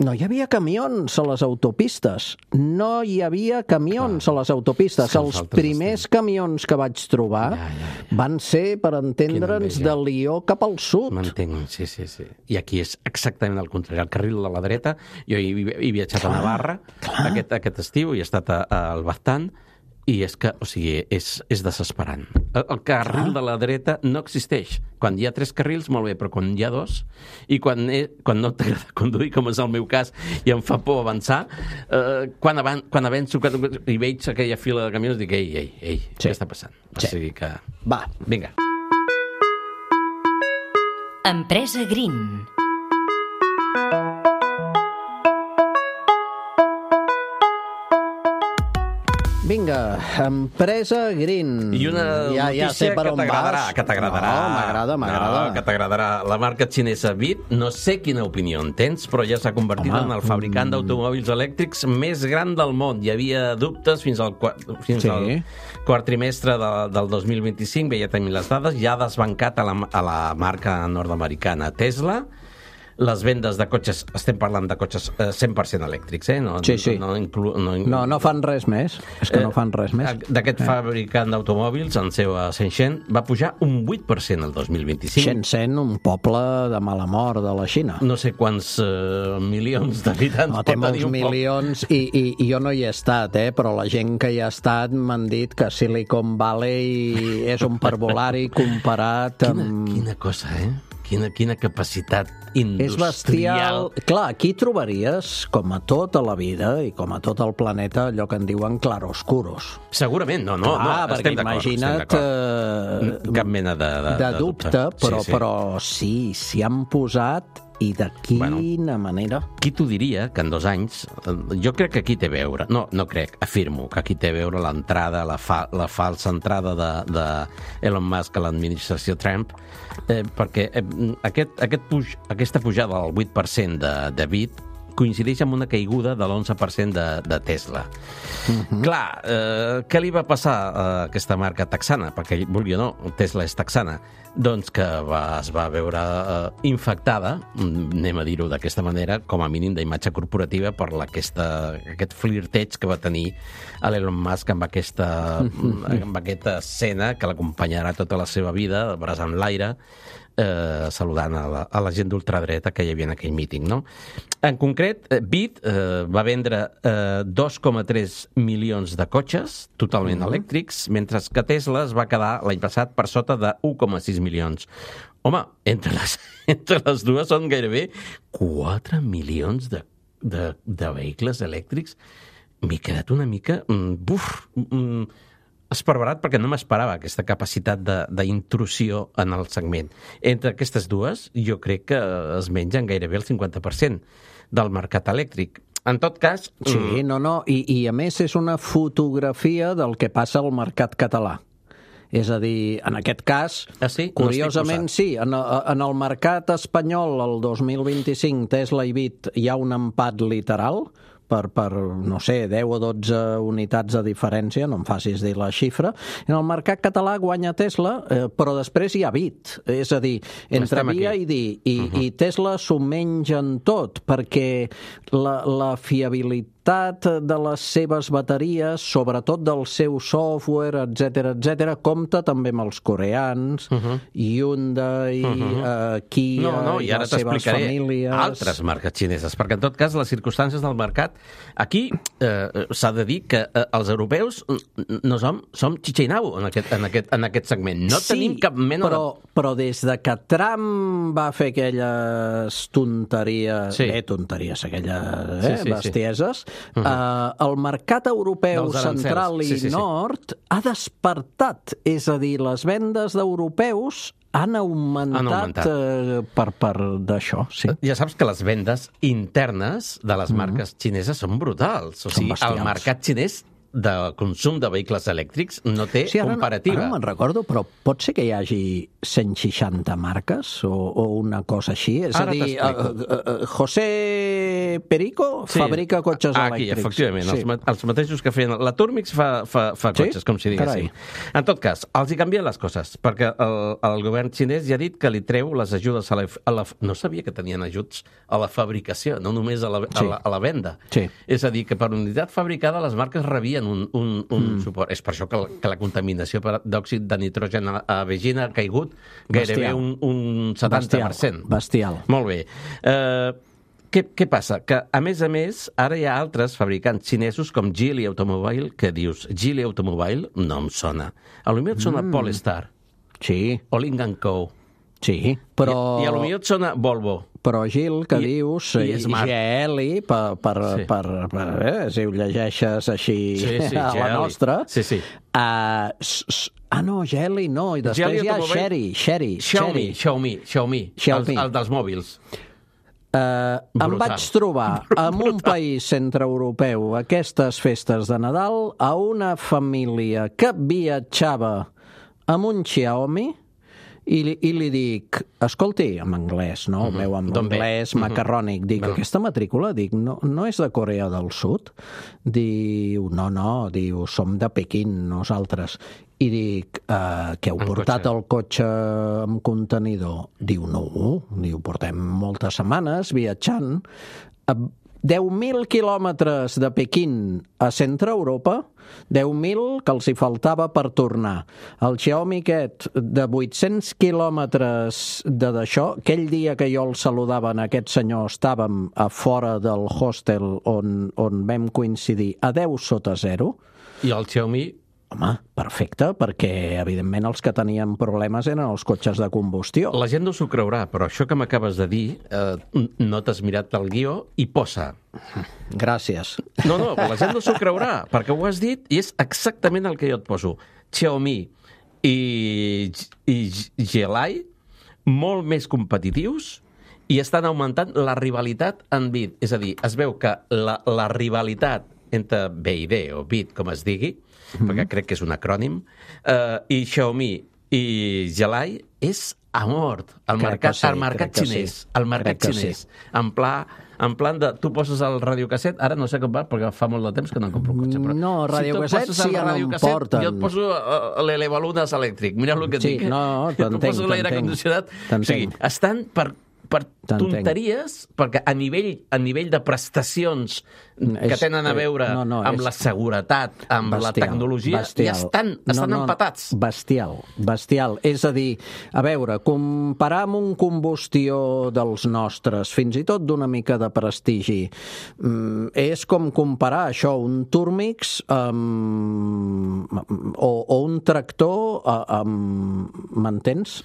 No hi havia camions a les autopistes. No hi havia camions Clar. a les autopistes. Sí, els primers estem. camions que vaig trobar ja, ja, ja. van ser, per entendre'ns, de Lió cap al sud. M'entenc, sí, sí, sí. I aquí és exactament el contrari. El carril de la dreta, jo he, he viatjat Clar. a Navarra aquest, aquest estiu i he estat a, a al Baztán, i és que, o sigui, és, és desesperant. El, el carril ah. de la dreta no existeix. Quan hi ha tres carrils, molt bé, però quan hi ha dos, i quan, he, quan no t'agrada conduir, com és el meu cas, i em fa por avançar, eh, quan, avan, quan avanço i veig aquella fila de camions, dic, ei, ei, ei, sí. què està passant? Sí. O sigui que... Va. Vinga. Empresa Green. Vinga, Empresa Green. I una ja, ja sé per que on t'agradarà, vas. que t'agradarà. No, m'agrada, m'agrada. No, que t'agradarà. La marca xinesa Bit, no sé quina opinió en tens, però ja s'ha convertit Home, en el fabricant mm... d'automòbils elèctrics més gran del món. Hi havia dubtes fins al, fins sí. al quart trimestre de, del dos mil vint-i-cinc, veia tenir les dades, ja ha desbancat a la, a la marca nord-americana Tesla. Les vendes de cotxes, estem parlant de cotxes eh, cent per cent elèctrics, eh? No, sí, sí. No, inclu, no, inclu... no, no fan res més. És que eh, no fan res més. D'aquest eh. fabricant d'automòbils, en seu a Shenzhen, va pujar un vuit per cent el dos mil vint-i-cinc. Shenzhen, un poble de mala mort de la Xina. No sé quants eh, milions d'habitants no, pot tenir un poble. Té molts milions, i, i, i jo no hi he estat, eh? Però la gent que hi ha estat m'han dit que Silicon Valley és un parvulari comparat amb... Quina, quina cosa, eh? Quina, quina capacitat industrial. És bestial. Clar, aquí trobaries, com a tota la vida i com a tot el planeta, allò que en diuen claroscuros. Segurament, no, no, Clar, no estem d'acord. Imagina't eh, cap mena de, de, de dubte, de dubte però, sí, sí. però sí, s'hi han posat i de quina bueno, manera. Qui t'ho diria que en dos anys, jo crec que aquí té a veure, no, no crec, afirmo que aquí té a veure l'entrada, la, fa, la falsa entrada de, de Elon Musk a l'administració Trump, eh, perquè eh, aquest, aquest puj, aquesta pujada del vuit per cent de, de Bit coincideix amb una caiguda de l'onze per cent de, de Tesla. Uh-huh. Clar, eh, què li va passar a aquesta marca texana? Perquè, vulgui o no, Tesla és texana. Doncs que va, es va veure eh, infectada, anem a dir-ho d'aquesta manera, com a mínim d'imatge corporativa per la, aquesta, aquest flirteig que va tenir l'Elon Musk amb aquesta, amb aquesta escena que l'acompanyarà tota la seva vida, el braç en l'aire, Eh, saludant a la, a la gent d'ultradreta que hi havia en aquell míting, no? En concret, Bit eh, va vendre eh, dos coma tres milions de cotxes totalment uh-huh. elèctrics, mentre que Tesla es va quedar l'any passat per sota de un coma sis milions. Home, entre les, entre les dues són gairebé quatre milions de, de, de vehicles elèctrics. M'he quedat una mica... Mm, buf... Mm, esparverat perquè no m'esperava aquesta capacitat d'intrusió en el segment. Entre aquestes dues, jo crec que es mengen gairebé el cinquanta per cent del mercat elèctric. En tot cas... Sí, mm... no, no, i, i a més és una fotografia del que passa al mercat català. És a dir, en aquest cas, ah, sí? curiosament no sí, en, en el mercat espanyol el dos mil vint-i-cinc, Tesla i Bit, hi ha un empat literal, per, per, no sé, deu o dotze unitats de diferència, no em facis dir la xifra. En el mercat català guanya Tesla, eh, però després hi ha Bit. És a dir, entre via i dir, i, uh-huh. i Tesla s'ho mengen tot, perquè la, la fiabilitat de les seves bateries, sobretot del seu software, etcètera, etcètera, compta també amb els coreans, uh-huh. Hyundai, uh-huh. uh, Kia, no, no, i, i les seves famílies... altres marques xineses, perquè en tot cas les circumstàncies del mercat, aquí eh, s'ha de dir que eh, els europeus no som, som xitxinau en aquest, en, aquest, en aquest segment. No sí, tenim cap mena però, de... però des de que Trump va fer aquelles tonteries, sí. eh, tonteries, aquelles eh, sí, sí, bestieses, sí. Uh-huh. Uh, el mercat europeu central i sí, sí, sí. nord ha despertat, és a dir, les vendes d'europeus han augmentat, han augmentat. Uh, per, per d'això, sí. Ja saps que les vendes internes de les marques uh-huh. xineses són brutals. O sigui, el mercat xinès de consum de vehicles elèctrics no té sí, ara comparativa. No, ara no me'n recordo, però pot ser que hi hagi cent seixanta marques o, o una cosa així? És ara a dir, uh, uh, José Perico sí. fabrica cotxes Aquí, elèctrics. Efectivament, sí. els, els mateixos que feien... La Turmix fa, fa, fa sí? cotxes, com si diguéssim. Carai. En tot cas, els hi canvien les coses, perquè el, el govern xinès ja ha dit que li treu les ajudes a la, a la... No sabia que tenien ajuts a la fabricació, no només a la, sí. a la, a la venda. Sí. És a dir, que per unitat fabricada les marques rebien un, un, un mm. suport. És per això que la, que la contaminació d'òxid de nitrogen a, a Beijing ha caigut gairebé Bestial. un, un setanta per cent. Bestial. Bestial. Molt bé. Eh... Què, què passa? Que, a més a més, ara hi ha altres fabricants xinesos com Geely Automobile, que dius, Geely Automobile no em sona. A lo millor et sona mm. Polestar. Sí. O Lynk and Co. Sí, però... I, I a lo millor et sona Volvo. Però, Gil, que I, dius i G L per, per, sí. per, per eh, si ho llegeixes així sí, sí, a la Geely. nostra... Sí, sí. Uh, s, s, ah, no, Geely no, i després Geely hi ha Automobile... Sherry, Sherry, Xiaomi, Xiaomi, Xiaomi, Xiaomi. El, el dels mòbils. Uh, em vaig trobar en un país centreeuropeu aquestes festes de Nadal a una família que viatjava amb un Xiaomi i li, i li dic, escolti, en anglès, no? Mm-hmm. Veu, en anglès macarrònic. Dic, mm-hmm. aquesta matrícula, dic, no, no és de Corea del Sud? Diu, no, no, diu, som de Pequín, nosaltres. I dic, uh, que heu en portat cotxe. el cotxe amb contenidor? Diu, no, diu, portem moltes setmanes viatjant. deu mil quilòmetres de Pequín a centre Europa, deu mil que els hi faltava per tornar. El Xiaomi aquest de vuit-cents quilòmetres de d'això, aquell dia que jo el saludava en aquest senyor, estàvem a fora del hostel on, on vam coincidir a deu sota zero. I el Xiaomi... Home, perfecte, perquè evidentment els que tenien problemes eren els cotxes de combustió. La gent no s'ho creurà, però això que m'acabes de dir, eh, no t'has mirat el guió i posa. Gràcies. No, no, la gent no s'ho creurà, perquè ho has dit i és exactament el que jo et poso. Xiaomi i, i Geely, molt més competitius i estan augmentant la rivalitat en bit. És a dir, es veu que la, la rivalitat entre B I D o bit, com es digui, mm-hmm. perquè crec que és un acrònim, eh, i Xiaomi i Geely és a mort al crec mercat, sí, al mercat xinès. Sí. Al mercat xinès. Sí. En pla, en plan de... Tu poses el radiocasset, ara no sé com va, perquè fa molt de temps que no em compro un cotxe, però... No, radiocasset si sí ja no em porten. Jo et poso l'elevalunes elèctric, mira el que et sí, dic. No, t'entenc, tu poso l'aire condicionat. O sigui, estan per per tonteries, perquè a nivell, a nivell de prestacions que és, tenen a veure no, no, amb és... la seguretat, amb bestial, la tecnologia, bestial. ja estan, estan no, no, empatats. Bestial, bestial. És a dir, a veure, comparar amb un combustió dels nostres, fins i tot d'una mica de prestigi, és com comparar això, un Turmix amb... o, o un tractor amb... M'entens?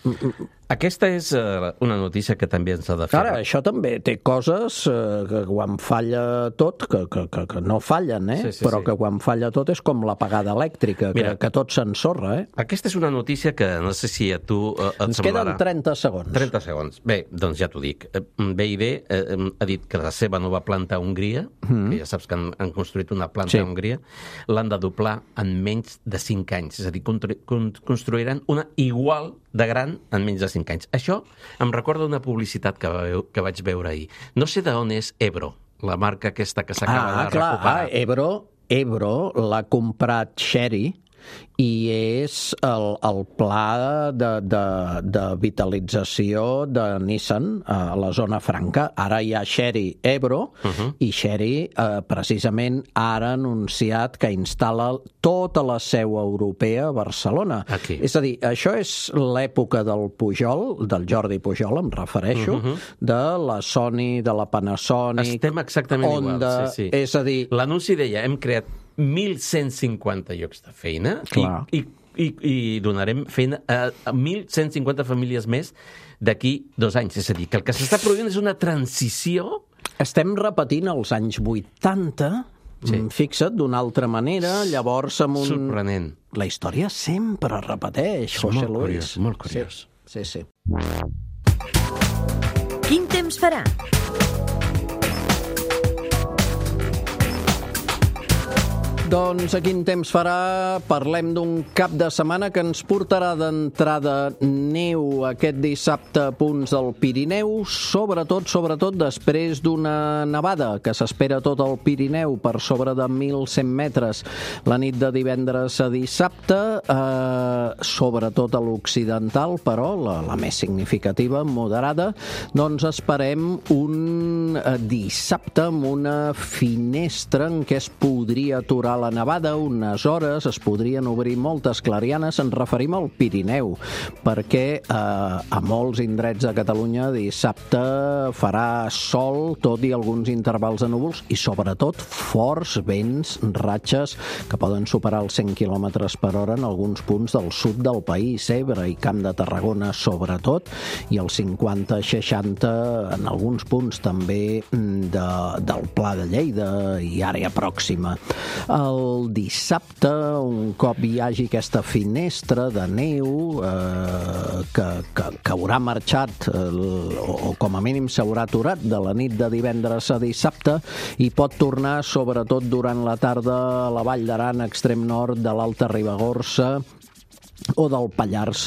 Aquesta és uh, una notícia que també ens ha de fer. Ara, això també té coses uh, que quan falla tot, que, que, que, que no fallen, eh? Sí, sí, però sí. que quan falla tot és com l'apagada elèctrica, Mira, que, que tot s'ensorra, eh? Aquesta és una notícia que no sé si a tu uh, et ens semblarà. Queden trenta segons. trenta segons. Bé, doncs ja t'ho dic. B I D eh, ha dit que la seva nova planta a Hongria, mm. que ja saps que han, han construït una planta sí. a Hongria, l'han de doblar en menys de cinc anys. És a dir, constru construiran una igual de gran en menys de cinc anys. Això em recorda una publicitat que, va, que vaig veure ahir. No sé d'on és Ebro, la marca aquesta que s'acaba ah, de clar, recuperar. Ah, Ebro, Ebro l'ha comprat Sherry i és el, el pla de, de, de vitalització de Nissan a la zona franca. Ara hi ha Sherry Ebro uh-huh. i Sherry eh, precisament ara ha anunciat que instal·la tota la seu europea a Barcelona. Aquí. És a dir, això és l'època del Pujol, del Jordi Pujol, em refereixo, uh-huh. de la Sony, de la Panasonic... Estem exactament Honda, igual, sí, sí. És a dir... L'anunci deia, hem creat mil cent cinquanta llocs de feina i, i, i, i donarem feina a mil cent cinquanta famílies més d'aquí dos anys. És a dir, que el que s'està produint és una transició... Estem repetint els anys vuitanta, sí. fixa't, d'una altra manera, llavors amb un... Sorprenent. La història sempre repeteix, José molt Luis. Curiós, molt curiós. Sí, sí, sí. Quin temps farà? Doncs a quin temps farà? Parlem d'un cap de setmana que ens portarà d'entrada neu aquest dissabte a punts del Pirineu, sobretot, sobretot després d'una nevada que s'espera tot el Pirineu per sobre de mil cent metres la nit de divendres a dissabte, eh, sobretot a l'occidental, però la, la més significativa, moderada, doncs esperem un eh, dissabte amb una finestra en què es podria aturar la nevada unes hores, es podrien obrir moltes clarianes. Ens referim al Pirineu, perquè eh, a molts indrets de Catalunya dissabte farà sol, tot i alguns intervals de núvols, i sobretot forts vents, ratxes, que poden superar els cent quilòmetres per hora en alguns punts del sud del país, Ebre i Camp de Tarragona sobretot, i els cinquanta seixanta en alguns punts també de, del Pla de Lleida i àrea pròxima. El dissabte, un cop hi hagi aquesta finestra de neu eh, que, que, que haurà marxat eh, o, o com a mínim s'haurà aturat de la nit de divendres a dissabte, i pot tornar sobretot durant la tarda a la Vall d'Aran, extrem nord de l'Alta Ribagorça o del Pallars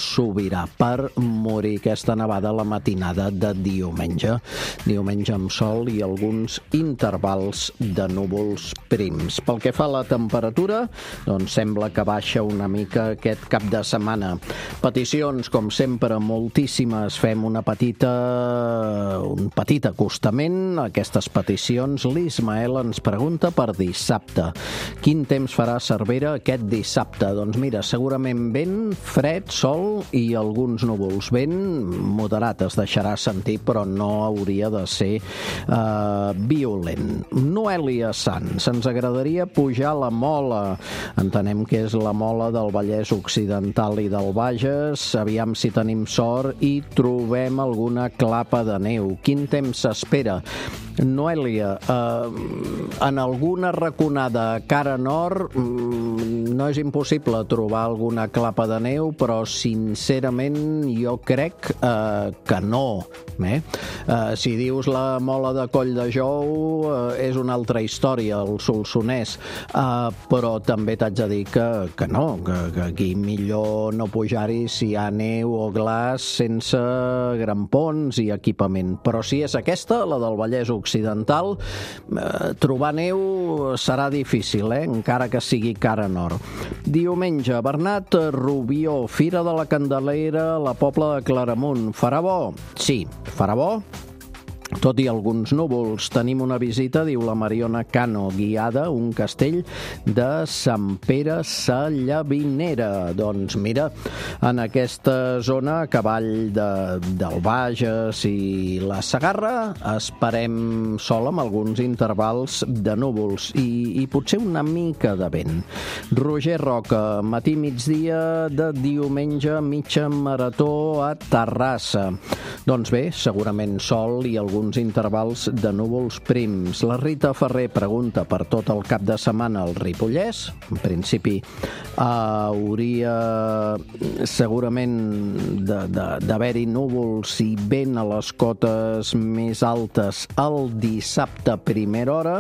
Sobirà, per morir aquesta nevada la matinada de diumenge. Diumenge amb sol i alguns intervals de núvols prims. Pel que fa a la temperatura, doncs sembla que baixa una mica aquest cap de setmana. Peticions, com sempre, moltíssimes. Fem una petita, un petit acostament a aquestes peticions. L'Ismael ens pregunta per dissabte. Quin temps farà a Cervera aquest dissabte? Doncs mira, segurament vent, fred, sol i alguns núvols. Vent moderat es deixarà sentir, però no hauria de ser eh, violent. Noèlia Sans, ens agradaria pujar la Mola. Entenem que és la Mola del Vallès Occidental i del Bages. Aviam si tenim sort i trobem alguna clapa de neu. Quin temps s'espera? Noèlia, eh, en alguna raconada cara nord no és impossible trobar alguna clapa de neu, però sincerament jo crec eh, que no. Eh? Eh, si dius la Mola de Coll de Jou eh, és una altra història, el Solsonès, eh, però també t'haig de dir que, que no, que, que aquí millor no pujar-hi si hi ha neu o glaç sense grampons i equipament. Però si és aquesta, la del Vallès Occidental, eh, trobar neu serà difícil, eh? Encara que sigui cara nord. Diumenge, Bernat Rubió, Fira de la Candelera, la Pobla de Claramunt. Farà bo? Sí, farà bo. Tot i alguns núvols. Tenim una visita, diu la Mariona Cano, guiada, un castell de Sant Pere Sallavinera. Doncs mira, en aquesta zona, a cavall de, del Bages i la Segarra, esperem sol amb alguns intervals de núvols i, i potser una mica de vent. Roger Roca, matí migdia de diumenge, mitja marató a Terrassa. Doncs bé, segurament sol i alguns intervals de núvols prims. La Rita Ferrer pregunta per tot el cap de setmana al Ripollès. En principi uh, hauria segurament d'haver-hi núvols i vent a les cotes més altes el dissabte a primera hora.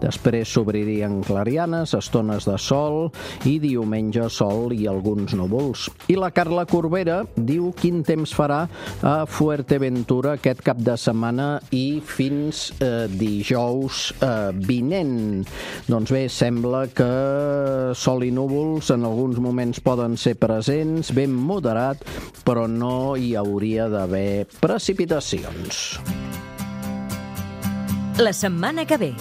Després s'obririen clarianes, estones de sol, i diumenge sol i alguns núvols. I la Carla Corbera diu quin temps farà a Fuerteventura aquest cap de setmana i fins eh, dijous eh, vinent. Doncs bé, sembla que sol i núvols en alguns moments poden ser presents, ben moderat, però no hi hauria d'haver precipitacions. La setmana que ve.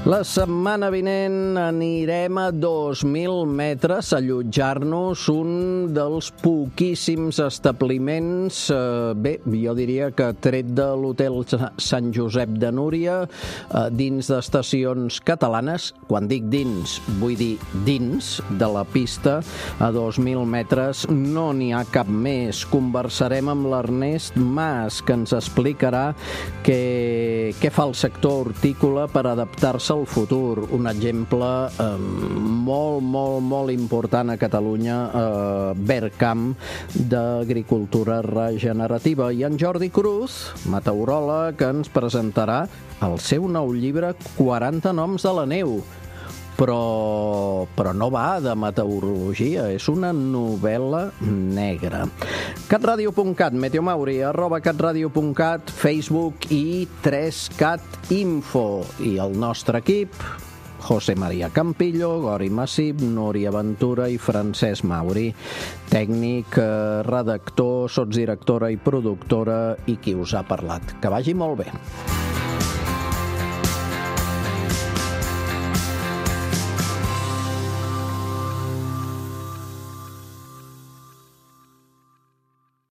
La setmana vinent anirem a dos mil metres a allotjar-nos un dels poquíssims establiments, eh, bé, jo diria que tret de l'hotel Sant Josep de Núria, eh, dins d'estacions catalanes. Quan dic dins, vull dir dins de la pista, a dos mil metres no n'hi ha cap més. Conversarem amb l'Ernest Mas, que ens explicarà què, què fa el sector hortícola per adaptar-se el futur, un exemple eh, molt, molt, molt important a Catalunya, eh, Vercamp, d'agricultura regenerativa. I en Jordi Cruz, meteoròleg, ens presentarà el seu nou llibre quaranta noms de la neu. Però, però no va de meteorologia, és una novel·la negra. catradio punt cat, Meteomauri, arroba catradio punt cat, Facebook i tres cat info. I el nostre equip, José María Campillo, Gori Massip, Núria Ventura i Francesc Mauri. Tècnic, redactor, sotsdirectora i productora i qui us ha parlat. Que vagi molt bé.